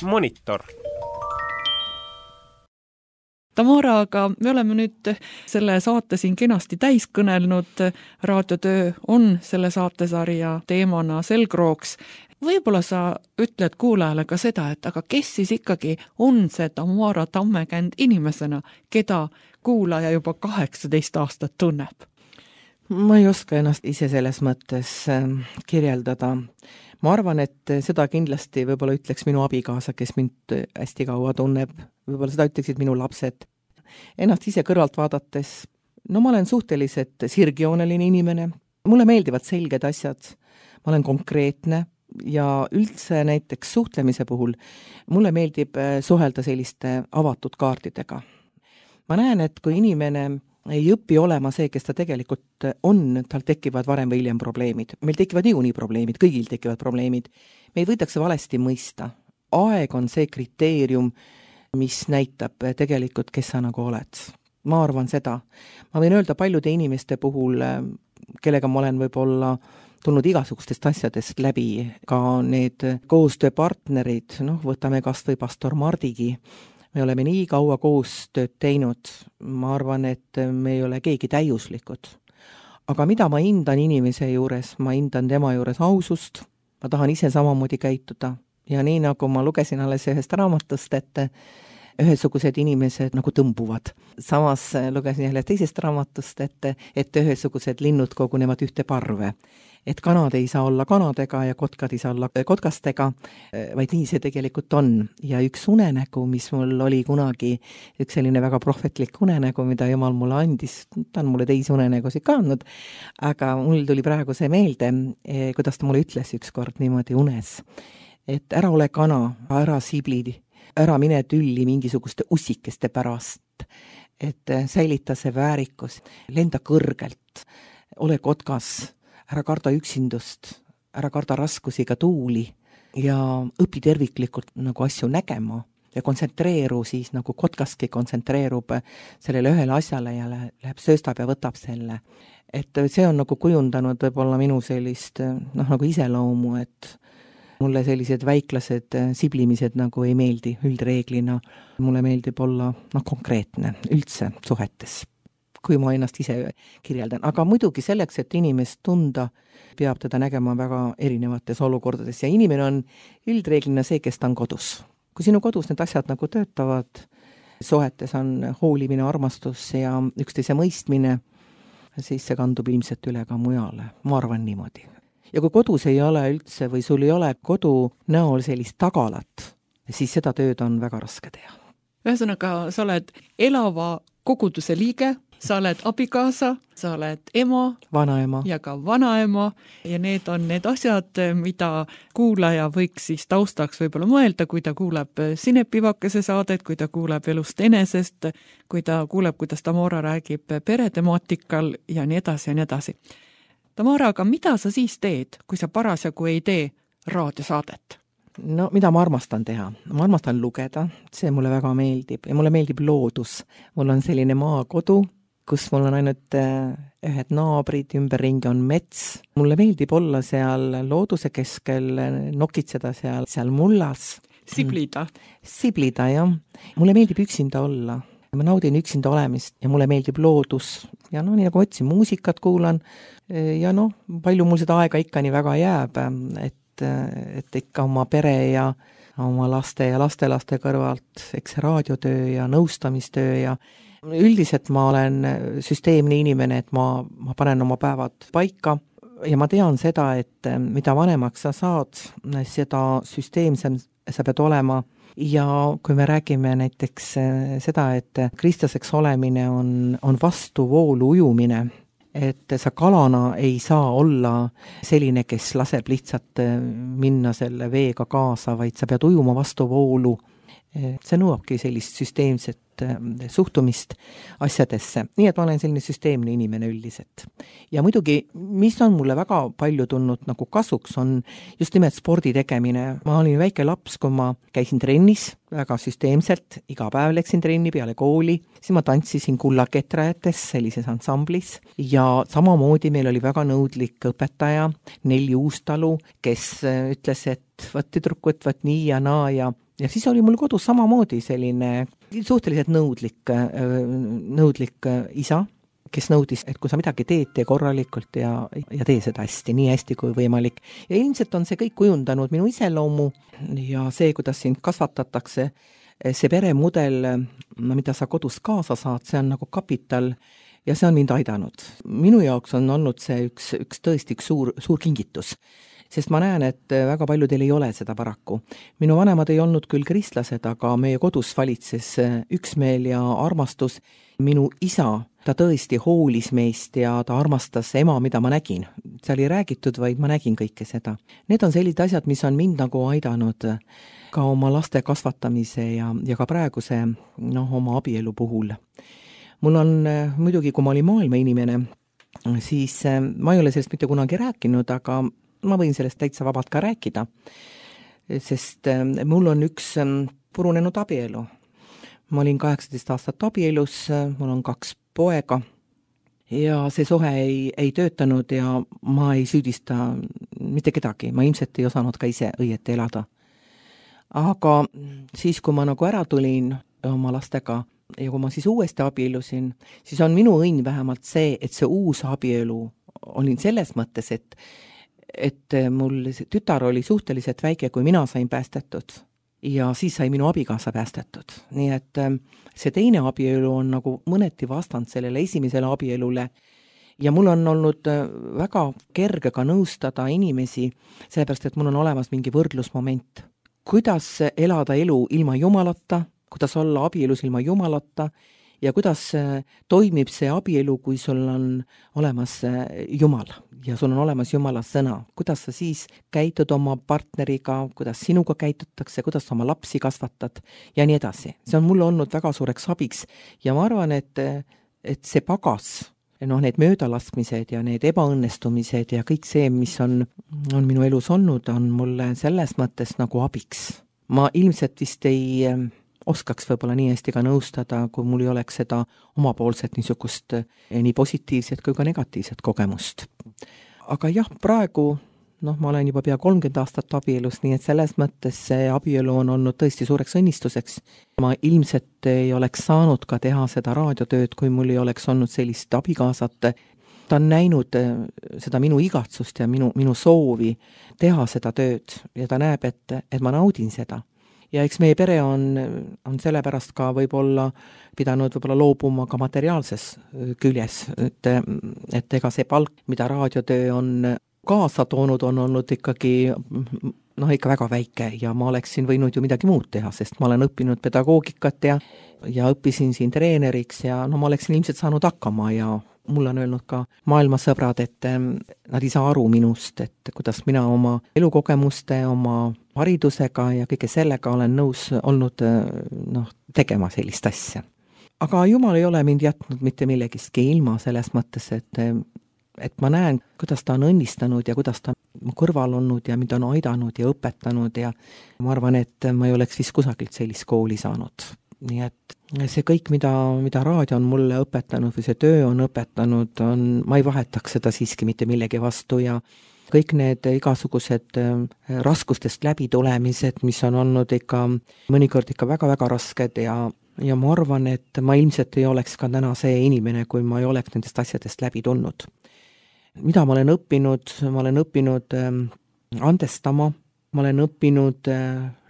C: Monitor.
E: Tamara, aga me oleme nüüd selle saate siin kenasti täis kõnelnud, raadiotöö on selle saatesarja teemana selgrooks. Võib-olla sa ütled kuulajale ka seda, et aga kes siis ikkagi on see Tamara Tammekänd inimesena, keda kuulaja juba kaheksateist aastat tunneb?
F: Ma ei oska ennast ise selles mõttes kirjeldada. Ma arvan, et seda kindlasti võib-olla ütleks minu abikaasa, kes mind hästi kaua tunneb. Võib-olla seda ütleksid minu lapsed. Ennast ise kõrvalt vaadates, no ma olen suhteliselt sirgjooneline inimene. Mulle meeldivad selged asjad. Ma olen konkreetne ja üldse näiteks suhtlemise puhul mulle meeldib suhelda selliste avatud kaartidega. Ma näen, et kui inimene ei õpi olema see, kes ta tegelikult on, tal tekivad varem või hiljem probleemid. Meil tekivad niikuinii probleemid, kõigil tekivad probleemid. Me ei võidakse valesti mõista. Aeg on see kriteerium, mis näitab tegelikult, kes sa nagu oled. Ma arvan seda. Ma võin öelda paljude inimeste puhul, kellega ma olen võib-olla tulnud igasugustest asjadest läbi, ka need koostööpartnerid, noh, võtame kas või pastor Mardigi, me oleme nii kaua koostööd teinud, ma arvan, et me ei ole keegi täiuslikud. Aga mida ma hindan inimese juures, ma hindan tema juures ausust, ma tahan ise samamoodi käituda ja nii nagu ma lugesin alles ühest raamatust, et ühesugused inimesed nagu tõmbuvad. Samas lugesin jälle teisest raamatust, et, et ühesugused linnud kogunevad ühte parve. Et kanad ei saa olla kanadega ja kotkad ei saa olla kotkastega, vaid nii see tegelikult on. Ja üks unenägu, mis mul oli kunagi, üks selline väga prohvetlik unenägu, mida Jumal mulle andis, ta on mulle teisi unenägusid ka andnud, aga mul tuli praegu see meelde, kuidas ta mulle ütles üks kord niimoodi unes, et ära ole kana, ära siblidi, ära mine tülli mingisuguste ussikeste pärast, et säilita see väärikus, lenda kõrgelt, ole kotkas, ära karda üksindust, ära karda raskusi ega tuuli ja õpi terviklikult nagu asju nägema ja kontsentreeru siis nagu kotkaski kontsentreerub sellele ühele asjale ja läheb sööstab ja võtab selle. Et see on nagu kujundanud võib-olla minu sellist noh, nagu iseloomu, et mulle sellised väiklased siblimised nagu ei meeldi üldreeglina. Mulle meeldib olla noh, konkreetne üldse suhetes, kui ma ennast ise kirjeldan. Aga muidugi selleks, et inimest tunda, peab teda nägema väga erinevates olukordades ja inimene on üldreeglina see, kes ta on kodus. Kui sinu kodus need asjad nagu töötavad, suhetes on hoolimine, armastus ja üksteise mõistmine, siis see kandub ilmselt üle ka mujale. Ma arvan niimoodi. Ja kui kodus ei ole üldse või sul ei ole kodu näol sellist tagalat, siis seda tööd on väga raske teha.
E: Ühesõnaga, sa oled elava koguduse liige, sa oled abikaasa, sa oled ema,
F: vanaema
E: ja ka vanaema ja need on need asjad, mida kuulaja võiks siis taustaks võib-olla mõelda, kui ta kuuleb Sinepivakese saadet, kui ta kuuleb elust enesest, kui ta kuuleb, kuidas Tamara räägib peretemaatikal ja nii edasi ja nii edasi. Tamara, aga mida sa siis teed, kui sa parasjagu ei tee raadiosaadet?
F: No, mida ma armastan teha? Ma armastan lugeda, see mulle väga meeldib ja mulle meeldib loodus. Mul on selline maakodu, kus mul on ainult ühed naabrid, ümberringi on mets. Mulle meeldib olla seal looduse keskel, nokitseda seal, seal mullas.
E: Siblida.
F: Siblida, jah. Mulle meeldib üksinda olla. Ma naudin üksinda olemist ja mulle meeldib loodus. Ja no, nii nagu otsin, muusikat kuulan ja noh, palju mul seda aega ikka nii väga jääb, et et ikka oma pere ja oma laste ja lastelaste kõrvalt, eks raadiotöö ja nõustamistöö ja üldiselt ma olen süsteemne inimene, et ma, ma panen oma päevad paika ja ma tean seda, et mida vanemaks sa saad, seda süsteemsem sa pead olema ja kui me räägime näiteks seda, et kristlaseks olemine on, on vastu voolu ujumine, et sa kalana ei saa olla selline, kes laseb lihtsalt minna selle veega kaasa, vaid sa pead ujuma vastu voolu. See nõuabki sellist süsteemset suhtumist asjadesse. Nii et ma olen selline süsteemne inimene üldiselt. Ja muidugi, mis on mulle väga palju tulnud nagu kasuks, on just nimelt spordi tegemine. Ma olin väike laps, kui ma käisin trennis väga süsteemselt, iga päev läksin trenni peale kooli, siis ma tantsisin kullaketrajates sellises ansamblis ja samamoodi meil oli väga nõudlik õpetaja Nelli Uustalu, kes ütles, et võt tüdrukut, võt nii ja naa ja Ja siis oli mul kodus samamoodi selline suhteliselt nõudlik, nõudlik isa, kes nõudis, et kui sa midagi teed, tee korralikult ja, ja tee seda hästi, nii hästi kui võimalik. Ja ilmselt on see kõik kujundanud minu iseloomu ja see, kuidas sind kasvatatakse, see peremudel, mida sa kodus kaasa saad, see on nagu kapital ja see on mind aidanud. Minu jaoks on olnud see üks, üks tõesti üks suur, suur kingitus. Sest ma näen, et väga paljudel ei ole seda paraku. Minu vanemad ei olnud küll kristlased, aga meie kodus valitses üksmeel ja armastus. Minu isa, ta tõesti hoolis meist ja ta armastas ema, mida ma nägin. Seal ei räägitud, vaid ma nägin kõike seda. Need on sellised asjad, mis on mind nagu aidanud ka oma laste kasvatamise ja, ja ka praeguse noh, oma abielu puhul. Mul on muidugi, kui ma olin maailma inimene, siis ma ei ole sellest mitte kunagi rääkinud, aga ma võin sellest täitsa vabalt ka rääkida, sest mul on üks purunenud abielu ma olin kaheksateist aastat abielus, mul on kaks poega ja see suhe ei, ei töötanud ja ma ei süüdista mitte kedagi, ma ilmselt ei osanud ka ise õieti elada. Aga siis, kui ma nagu ära tulin oma lastega ja kui ma siis uuesti abielusin, siis on minu õnn vähemalt see, et see uus abielu olin selles mõttes, et, et mul tütar oli suhteliselt väike, kui mina sain päästetud ja siis sai minu abikaasa päästetud. Nii et see teine abielu on nagu mõneti vastand sellele esimesele abielule ja mul on olnud väga kerge ka nõustada inimesi, sellepärast et mul on olemas mingi võrdlusmoment. Kuidas elada elu ilma Jumalata, kuidas olla abielus ilma Jumalata ja kuidas toimib see abielu, kui sul on olemas Jumal ja sul on olemas Jumala sõna. Kuidas sa siis käitud oma partneriga, kuidas sinuga käitutakse, kuidas sa oma lapsi kasvatad ja nii edasi. See on mulle olnud väga suureks abiks ja ma arvan, et, et see pagas, noh, need möödalaskmised ja need ebaõnnestumised ja kõik see, mis on, on minu elus olnud, on mulle selles mõttes nagu abiks. Ma ilmselt vist ei oskaks võib-olla nii hästi ka nõustada, kui mul ei oleks seda omapoolset niisugust nii positiivset kui ka negatiivset kogemust. Aga jah, praegu, noh, ma olen juba pea kolmkümmend aastat abielus, nii et selles mõttes see abielu on olnud tõesti suureks õnnistuseks. Ma ilmselt ei oleks saanud ka teha seda raadiotööd, kui mul ei oleks olnud sellist abikaasat. Ta on näinud seda minu igatsust ja minu, minu soovi teha seda tööd ja ta näeb, et, et ma naudin seda. Ja eks meie pere on, on sellepärast ka võib-olla pidanud võib-olla loobuma ka materiaalses küljes, et, et ega see palk, mida raadiotöö on kaasa toonud, on olnud ikkagi, noh, ikka väga väike ja ma oleksin võinud ju midagi muud teha, sest ma olen õppinud pedagoogikat ja, ja õppisin siin treeneriks ja no ma oleksin ilmselt saanud hakkama ja mul on öelnud ka maailmasõbrad, et nad ei saa aru minust, et kuidas mina oma elukogemuste, oma haridusega ja kõige sellega olen nõus olnud, noh, tegema sellist asja. Aga Jumal ei ole mind jätnud mitte millegistki ilma selles mõttes, et, et ma näen, kuidas ta on õnnistanud ja kuidas ta on kõrval olnud ja mind on aidanud ja õpetanud ja ma arvan, et ma ei oleks vist kusagilt sellist kooli saanud. Nii et see kõik, mida, mida raadio on mulle õpetanud või see töö on õpetanud, on, ma ei vahetaks seda siiski mitte millegi vastu ja kõik need igasugused raskustest läbitulemised, mis on olnud ikka mõnikord ikka väga-väga rasked ja, ja ma arvan, et ma ilmselt ei oleks ka täna see inimene, kui ma ei oleks nendest asjadest läbi tulnud. Mida ma olen õppinud? Ma olen õppinud andestama, ma olen õppinud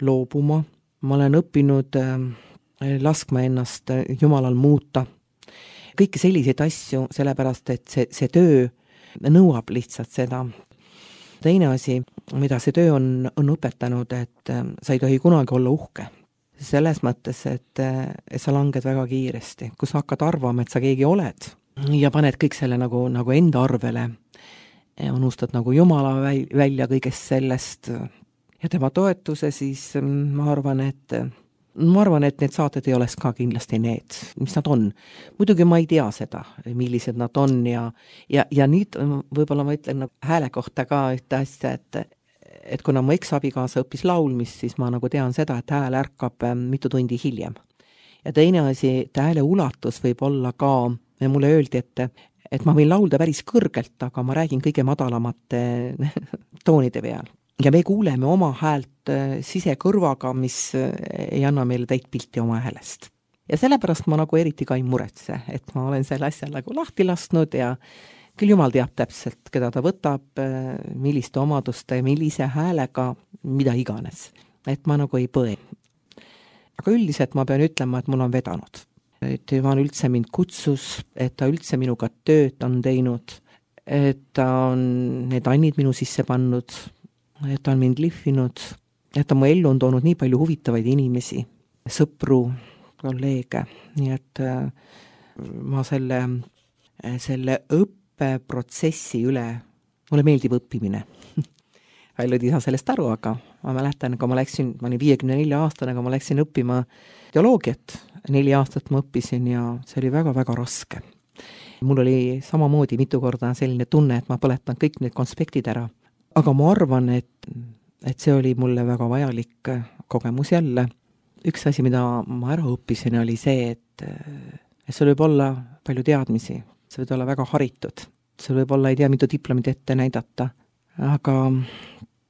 F: loobuma, ma olen õppinud laskma ennast Jumalal muuta. Kõiki selliseid asju, sellepärast, et see, see töö nõuab lihtsalt seda. Teine asi, mida see töö on, on õpetanud, et sa ei tohi kunagi olla uhke. Selles mõttes, et, et sa langed väga kiiresti. Kui sa hakkad arvama, et sa keegi oled ja paned kõik selle nagu, nagu enda arvele, unustad nagu Jumala välja kõigest sellest ja tema toetuse, siis ma arvan, et ma arvan, et need saated ei oleks ka kindlasti need, mis nad on. Muidugi ma ei tea seda, millised nad on ja, ja, ja nüüd võib-olla ma ütlen nagu hääle kohta ka ühte asja, et, et kuna mu eks-abikaasa õppis laulmist, siis ma nagu tean seda, et hääl ärkab mitu tundi hiljem. Ja teine asi, et hääle ulatus võib olla ka, mulle öeldi, et, et ma võin laulda päris kõrgelt, aga ma räägin kõige madalamate toonide peal. Ja me kuuleme oma häält sisekõrvaga, mis ei anna meile täit pilti oma häälest. Ja sellepärast ma nagu eriti ka ei muretse, et ma olen selle asja nagu lahti lasknud ja küll Jumal teab täpselt, keda ta võtab, milliste omaduste, millise häälega, mida iganes. Et ma nagu ei põe. Aga üldiselt ma pean ütlema, et mul on vedanud. Et Jumal üldse mind kutsus, et ta üldse minuga tööd on teinud, et ta on need annid minu sisse pannud, et ta on mind lihvinud, et ta mu ellu on toonud nii palju huvitavaid inimesi, sõpru, kolleege, nii et ma selle, selle õppeprotsessi üle, mulle meeldib õppimine. Paljud ei saa sellest aru, aga ma mäletan, kui ma läksin, ma olin viiekümne nelja aastane, kui ma läksin õppima teoloogiat, neli aastat ma õppisin ja see oli väga-väga raske. Mul oli samamoodi mitu korda selline tunne, et ma põletan kõik need konspektid ära. Aga ma arvan, et, et see oli mulle väga vajalik kogemus jälle üks asi, mida ma ära õppisin, oli see, et, et sul võib olla palju teadmisi, sa võid olla väga haritud, sul võib olla ei tea, mitu diplomit ette näidata, aga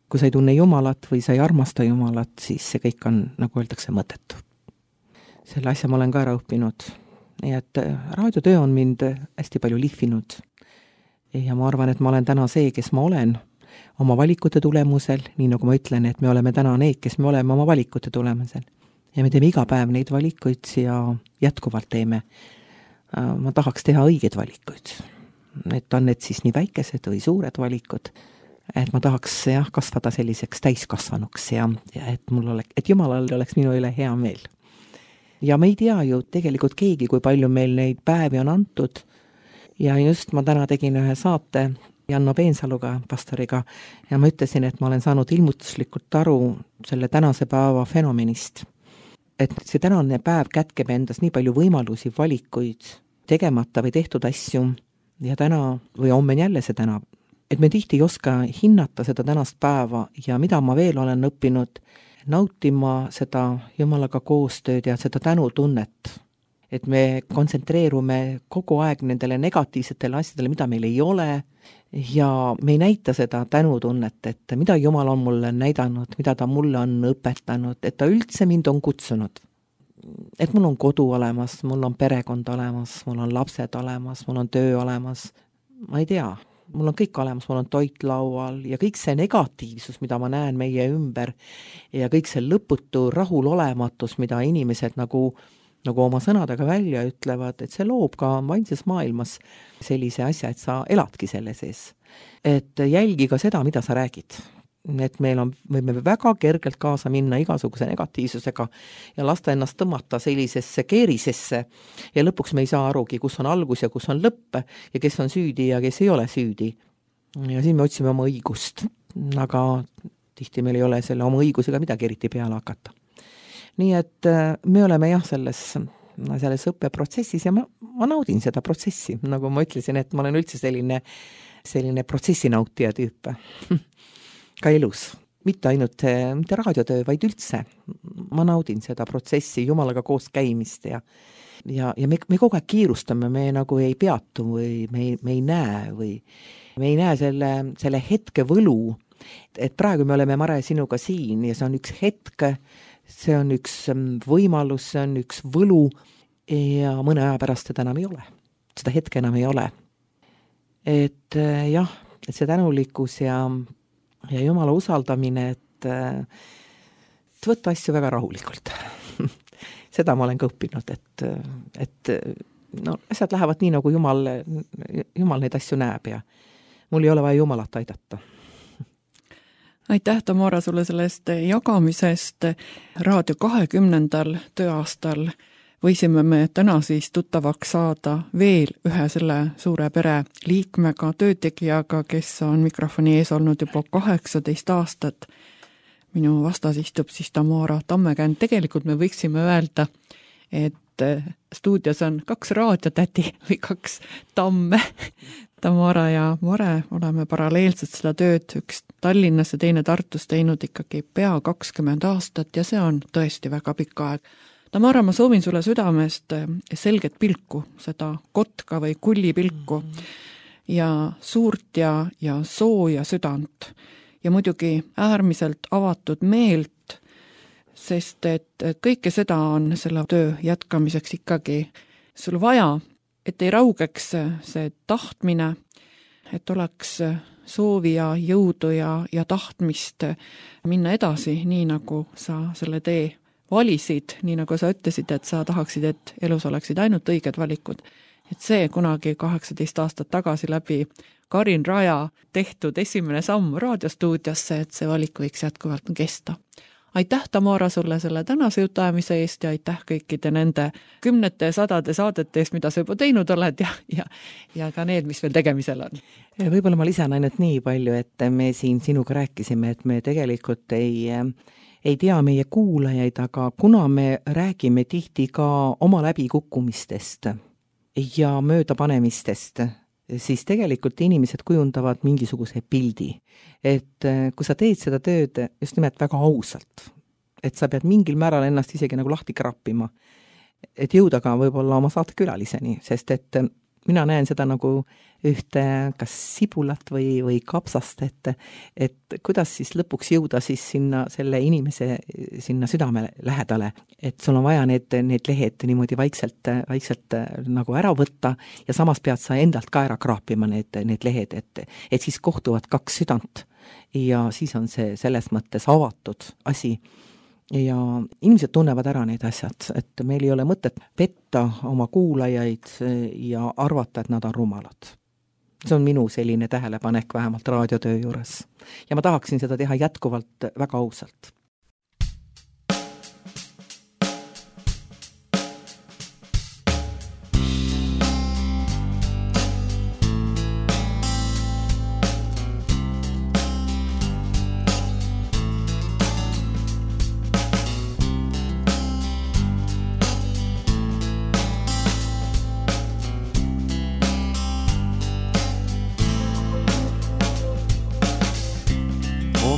F: kui sa ei tunne Jumalat või sa ei armasta Jumalat, siis see kõik on, nagu öeldakse, mõttetu. Selle asja ma olen ka ära õppinud. Nii et raadiotöö on mind hästi palju lihvinud. Ja ma arvan, et ma olen täna see, kes ma olen oma valikute tulemusel, nii nagu ma ütlen, et me oleme täna need, kes me oleme oma valikute tulemusel. Ja me teeme iga päev neid valikuid ja jätkuvalt teeme. Ma tahaks teha õigeid valikuid. Et on need siis nii väikesed või suured valikud, et ma tahaks jah, kasvada selliseks täiskasvanuks ja, ja et, mul oleks, et Jumalal oleks minu üle hea meel. Ja me ei tea ju tegelikult keegi, kui palju meil neid päevi on antud. Ja just ma täna tegin ühe saate Janno Peensaluga, pastoriga, ja ma ütlesin, et ma olen saanud ilmutuslikult aru selle tänase päeva fenomenist. Et see tänane päev kätkeb endas nii palju võimalusi, valikuid, tegemata või tehtud asju, ja täna või homme jälle see täna. Et me tihti ei oska hinnata seda tänast päeva ja mida ma veel olen õppinud, nautima seda Jumalaga koostööd ja seda tänutunnet. Et me kontsentreerume kogu aeg nendele negatiivsetele asjadele, mida meil ei ole, ja me ei näita seda tänutunnet, et mida Jumal on mulle näidanud, mida ta mulle on õpetanud, et ta üldse mind on kutsunud. Et mul on kodu olemas, mul on perekond olemas, mul on lapsed olemas, mul on töö olemas, ma ei tea. Mul on kõik olemas, mul on toit laual ja kõik see negatiivsus, mida ma näen meie ümber ja kõik see lõputu rahulolematus, mida inimesed nagu, nagu oma sõnadega välja ütlevad, et see loob ka vaimses maailmas sellise asja, et sa eladki selle sees. Et jälgi ka seda, mida sa räägid. Et meil on, võime väga kergelt kaasa minna igasuguse negatiivsusega ja lasta ennast tõmmata sellisesse keerisesse ja lõpuks me ei saa arugi, kus on algus ja kus on lõpp ja kes on süüdi ja kes ei ole süüdi. Ja siis me otsime oma õigust, aga tihti meil ei ole selle oma õigusega midagi eriti peale hakata. Nii et me oleme jah selles, selles õppeprotsessis ja ma, ma naudin seda protsessi, nagu ma ütlesin, et ma olen üldse selline, selline protsessinautija tüüp. Ka elus, mitte ainult mitte raadiotöö, vaid üldse. Ma naudin seda protsessi, Jumalaga koos käimist ja, ja, ja me, me kogu aeg kiirustame, me nagu ei peatu või me ei, me ei näe või me ei näe selle, selle hetke võlu, et praegu me oleme, Mare, sinuga siin ja see on üks hetk, see on üks võimalus, see on üks võlu ja mõne aja pärast seda enam ei ole. Seda hetke enam ei ole. Et jah, et see tänulikkus ja ja Jumala usaldamine, et, et võtta asju väga rahulikult. Seda ma olen ka õppinud, et, et no, asjad lähevad nii, nagu Jumal, Jumal neid asju näeb ja mul ei ole vaja Jumalat aidata.
E: Aitäh, Tamara, sulle sellest jagamisest. Raadio kahekümnendal tööaastal võisime me täna siis tuttavaks saada veel ühe selle suure pere liikmega, töötegijaga, kes on mikrofoni ees olnud juba kaheksateist aastat. Minu vastas istub siis Tamara Tammekänd. Tegelikult me võiksime öelda, et stuudios on kaks raadiotädi või kaks tamme. Tamara ja Mare oleme paralleelselt seda tööd, üks Tallinnas ja teine Tartus teinud ikkagi pea kakskümmend aastat ja see on tõesti väga pikk aeg. Tamara, ma soovin sulle südamest selget pilku, seda kotka või kulli pilku ja suurt ja, ja sooja südant ja muidugi äärmiselt avatud meelt, sest et kõike seda on selle töö jätkamiseks ikkagi sul vaja, et ei raugeks see tahtmine, et oleks soovi ja jõudu ja, ja tahtmist minna edasi, nii nagu sa selle tee valisid, nii nagu sa ütlesid, et sa tahaksid, et elus oleksid ainult õiged valikud. Et see kunagi kaheksateist aastat tagasi läbi Karin Raja tehtud esimene samm raadiostuudiosse, et see valik võiks jätkuvalt kesta. Aitäh, Tamara, sulle selle tänase jutuajamise eest ja aitäh kõikide nende kümnete sadade saadete eest, mida sa juba teinud oled ja, ja, ja ka need, mis veel tegemisel on.
F: Võib-olla ma lisan ainult nii palju, et me siin sinuga rääkisime, et me tegelikult ei... ei tea meie kuulajaid, aga kuna me räägime tihti ka oma läbikukkumistest ja möödapanemistest, siis tegelikult inimesed kujundavad mingisuguse pildi. Et kui sa teed seda tööd just nimelt väga ausalt, et sa pead mingil määral ennast isegi nagu lahti krappima, et jõuda ka võib-olla oma saatekülaliseni, sest et mina näen seda nagu ühte kas sibulat või, või kapsast, et, et kuidas siis lõpuks jõuda siis sinna selle inimese sinna südame lähedale, et sul on vaja need, need lehed niimoodi vaikselt, vaikselt nagu ära võtta ja samas pead sa endalt ka ära kraapima need, need lehed, et, et siis kohtuvad kaks südant ja siis on see selles mõttes avatud asi. Ja inimesed tunnevad ära need asjad, et meil ei ole mõtet petta oma kuulajaid ja arvata, et nad on rumalad. See on minu selline tähelepanek vähemalt raadiotöö juures. Ja ma tahaksin seda teha jätkuvalt väga ausalt.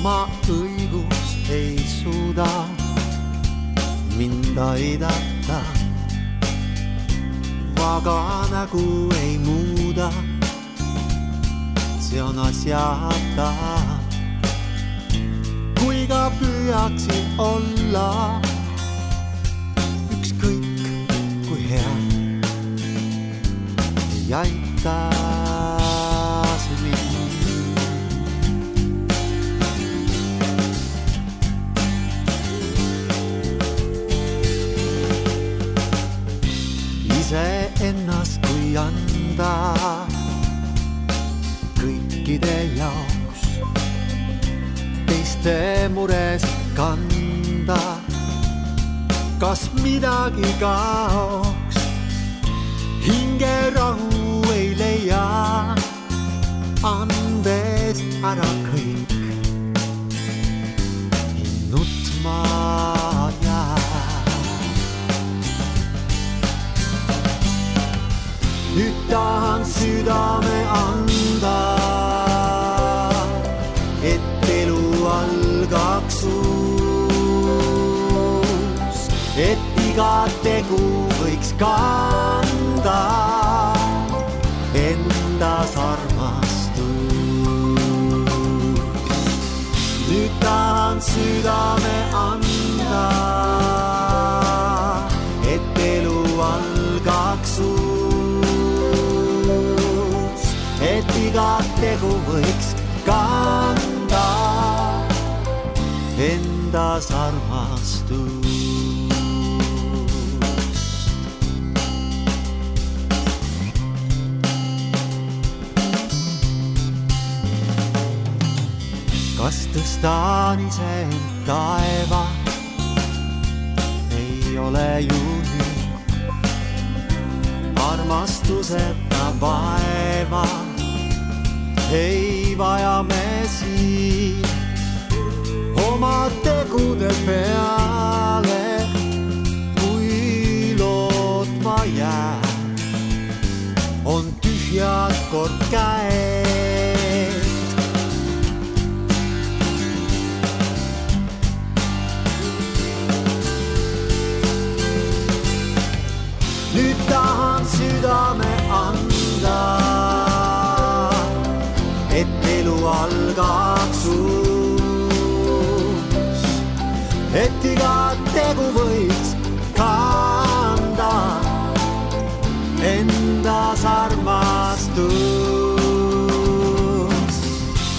G: Oma õigus ei suuda mind aidata, vaga nägu ei muuda, see on asjata. Kui ka püüaksin olla ükskõik kui hea, ei aita see mind. Ise ennast kui anda kõikide jaoks, teiste mures kanda, kas midagi kaoks, hinge rahu ei leia, andes ära kõik, nutma jää. Nüüd tahan südame anda, et elu algaks uus, et iga tegu võiks kanda endas armastus. Nüüd tahan südame anda, et elu algaks uus, et iga tegu võiks kanda endas armastust. Kas tõstan ise end taeva, ei ole ju nüüd armastuseta vaeva. Ei vaja me siin oma tegude peale, kui lootma jää, on tühjad kord käed. Nüüd tahan südame anda, et elu algaks uus, et iga tegu võiks kanda endas armastus.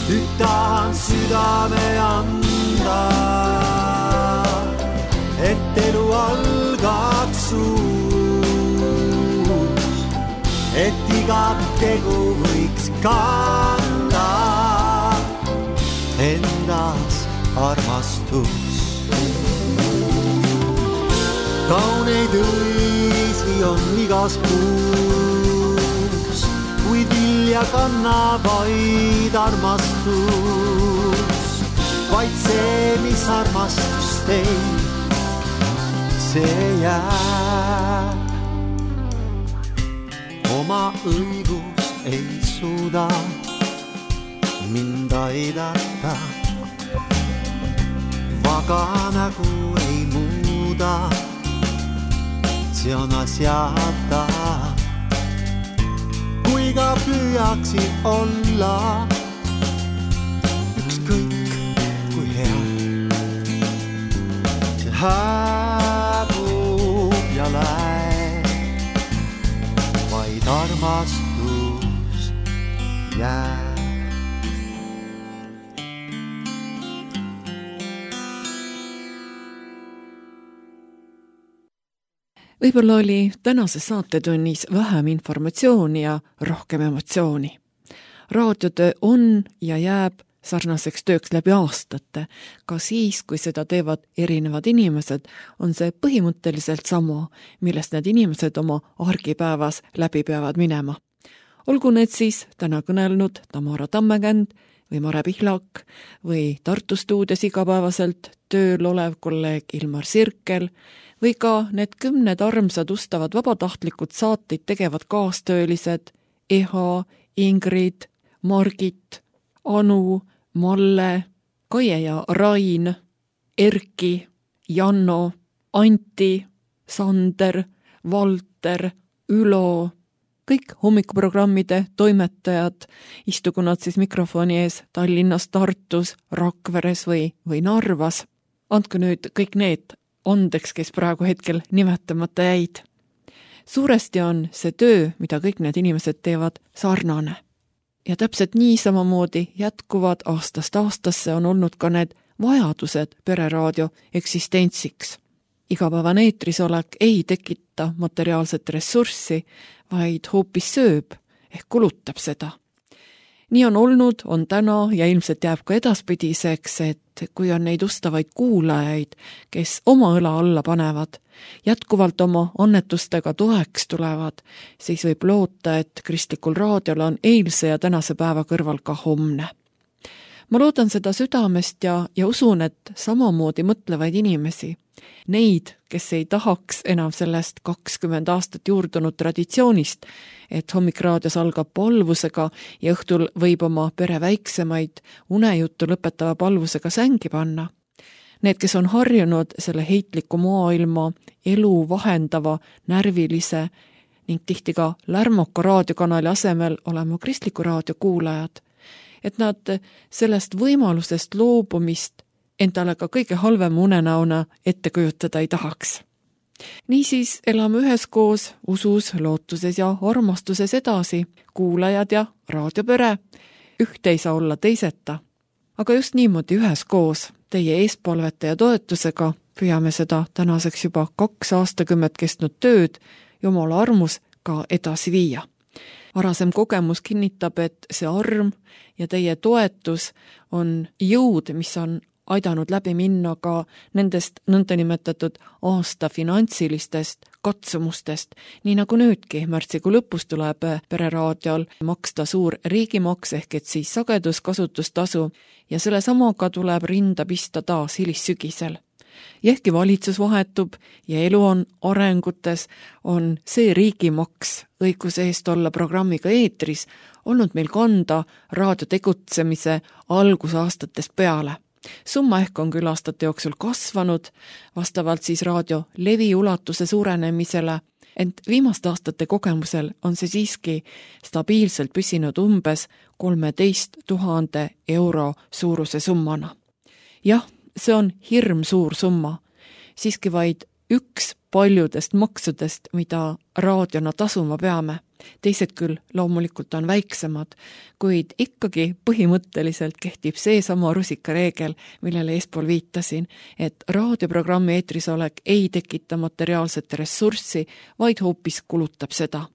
G: Nüüd tahan südame anda, et elu algaks uus, et iga tegu võiks kanda endas armastus. Kauneid õisi on igas puus, kui vilja kannab vaid armastus. Vaid see, mis armastust ei, see jääb. Oma õigus ei suuda mind aidata, aga nägu ei muuda, see on asjata. Kui ka püüaksid olla ükskõik kui hea, see hääbub ja läheb, vaid armastus jääb.
E: Võib-olla oli tänases saatetunnis vähem informatsiooni ja rohkem emotsiooni. Raadiotöö on ja jääb sarnaseks tööks läbi aastate. Ka siis, kui seda teevad erinevad inimesed, on see põhimõtteliselt sama, millest need inimesed oma argipäevas läbi peavad minema. Olgu need siis täna kõnelnud Tamara Tammekänd või Mare Pihlak või Tartu stuudios igapäevaselt tööl olev kolleeg Ilmar Sirkel või ka need kümned armsad ustavad vabatahtlikud saateid tegevad kaastöölised Eha, Ingrid, Margit, Anu, Malle, Kaie ja Rain, Erki, Janno, Anti, Sander, Valter, Ülo, kõik hommikuprogrammide toimetajad, istugu nad siis mikrofoni ees Tallinnas, Tartus, Rakveres või, või Narvas. Andku nüüd kõik need andeks, kes praegu hetkel nimetamata jäid. Suuresti on see töö, mida kõik need inimesed teevad, sarnane. Ja täpselt nii samamoodi jätkuvad aastast aastasse on olnud ka need vajadused pereraadio eksistentsiks. Igapäevane eetrisolek ei tekita materiaalset ressurssi, vaid hoopis sööb ehk kulutab seda. Nii on olnud, on täna ja ilmselt jääb ka edaspidiseks, et kui on neid ustavaid kuulajaid, kes oma õla alla panevad, jätkuvalt oma annetustega toeks tulevad, siis võib loota, et kristlikul raadiol on eilse ja tänase päeva kõrval ka homne. Ma loodan seda südamest ja, ja usun, et samamoodi mõtlevaid inimesi, neid, kes ei tahaks enam sellest kakskümmend aastat juurdunud traditsioonist, et hommikraadios algab palvusega ja õhtul võib oma pere väiksemaid unejuttu lõpetava palvusega sängi panna. Need, kes on harjunud selle heitliku maailma elu vahendava, närvilise ning tihti ka lärmoka raadiokanali asemel olema kristliku raadio kuulajad, et nad sellest võimalusest loobumist endale ka kõige halvem unenäona ette kujutada ei tahaks. Niisiis elame üheskoos usus, lootuses ja armastuses edasi, kuulajad ja raadiopere. Ühte ei saa olla teiseta. Aga just niimoodi üheskoos teie eespalvete ja toetusega püüame seda tänaseks juba kaks aastakümmet kestnud tööd Jumala armus ka edasi viia. Varasem kogemus kinnitab, et see arm ja teie toetus on jõud, mis on aidanud läbi minna ka nendest nõndanimetatud aasta finantsilistest katsumustest, nii nagu nüüdki märtsikuu lõpus tuleb pereraadiol maksta suur riigimaks ehk et siis sageduskasutustasu ja selle samaga tuleb rinda pista taas hilissügisel. Ja ehkki valitsus vahetub ja elu on arengutes, on see riigimaks õiguse eest olla programmiga eetris olnud meil kanda raadio tegutsemise algusaastatest peale. Summa ehk on küll aastate jooksul kasvanud, vastavalt siis raadio levi ulatuse suurenemisele, ent viimaste aastate kogemusel on see siiski stabiilselt püsinud umbes kolmeteist tuhande euro suuruse summana. Jah, see on hirm suur summa, siiski vaid üks paljudest maksudest, mida raadiona tasuma peame. Teised küll loomulikult on väiksemad, kuid ikkagi põhimõtteliselt kehtib see sama rusikareegel, millele eespool viitasin, et raadioprogrammi eetrisolek ei tekita materiaalset ressurssi, vaid hoopis kulutab seda.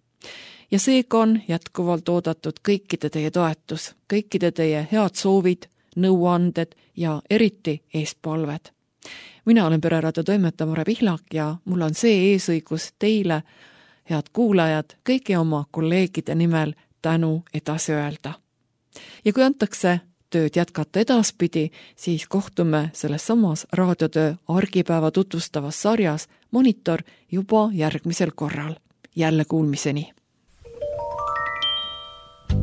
E: Ja seega on jätkuvalt oodatud kõikide teie toetus, kõikide teie head soovid, nõuanded ja eriti eespalved. Mina olen pereraadio toimetaja Mare Pihlak ja mul on see eesõigus teile, head kuulajad, kõigi oma kolleegide nimel tänu edasi öelda. Ja kui antakse tööd jätkata edaspidi, siis kohtume selles samas raadiotöö argipäeva tutvustavas sarjas Monitor juba järgmisel korral. Jälle kuulmiseni!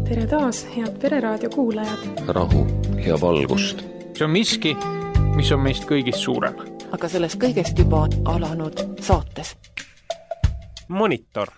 A: Tere taas, head pereraadio kuulajad!
B: Rahu ja valgust!
C: See on miski,
H: mis on meist kõigist suurem.
D: aga sellest kõigest juba alanud saates.
C: Monitor.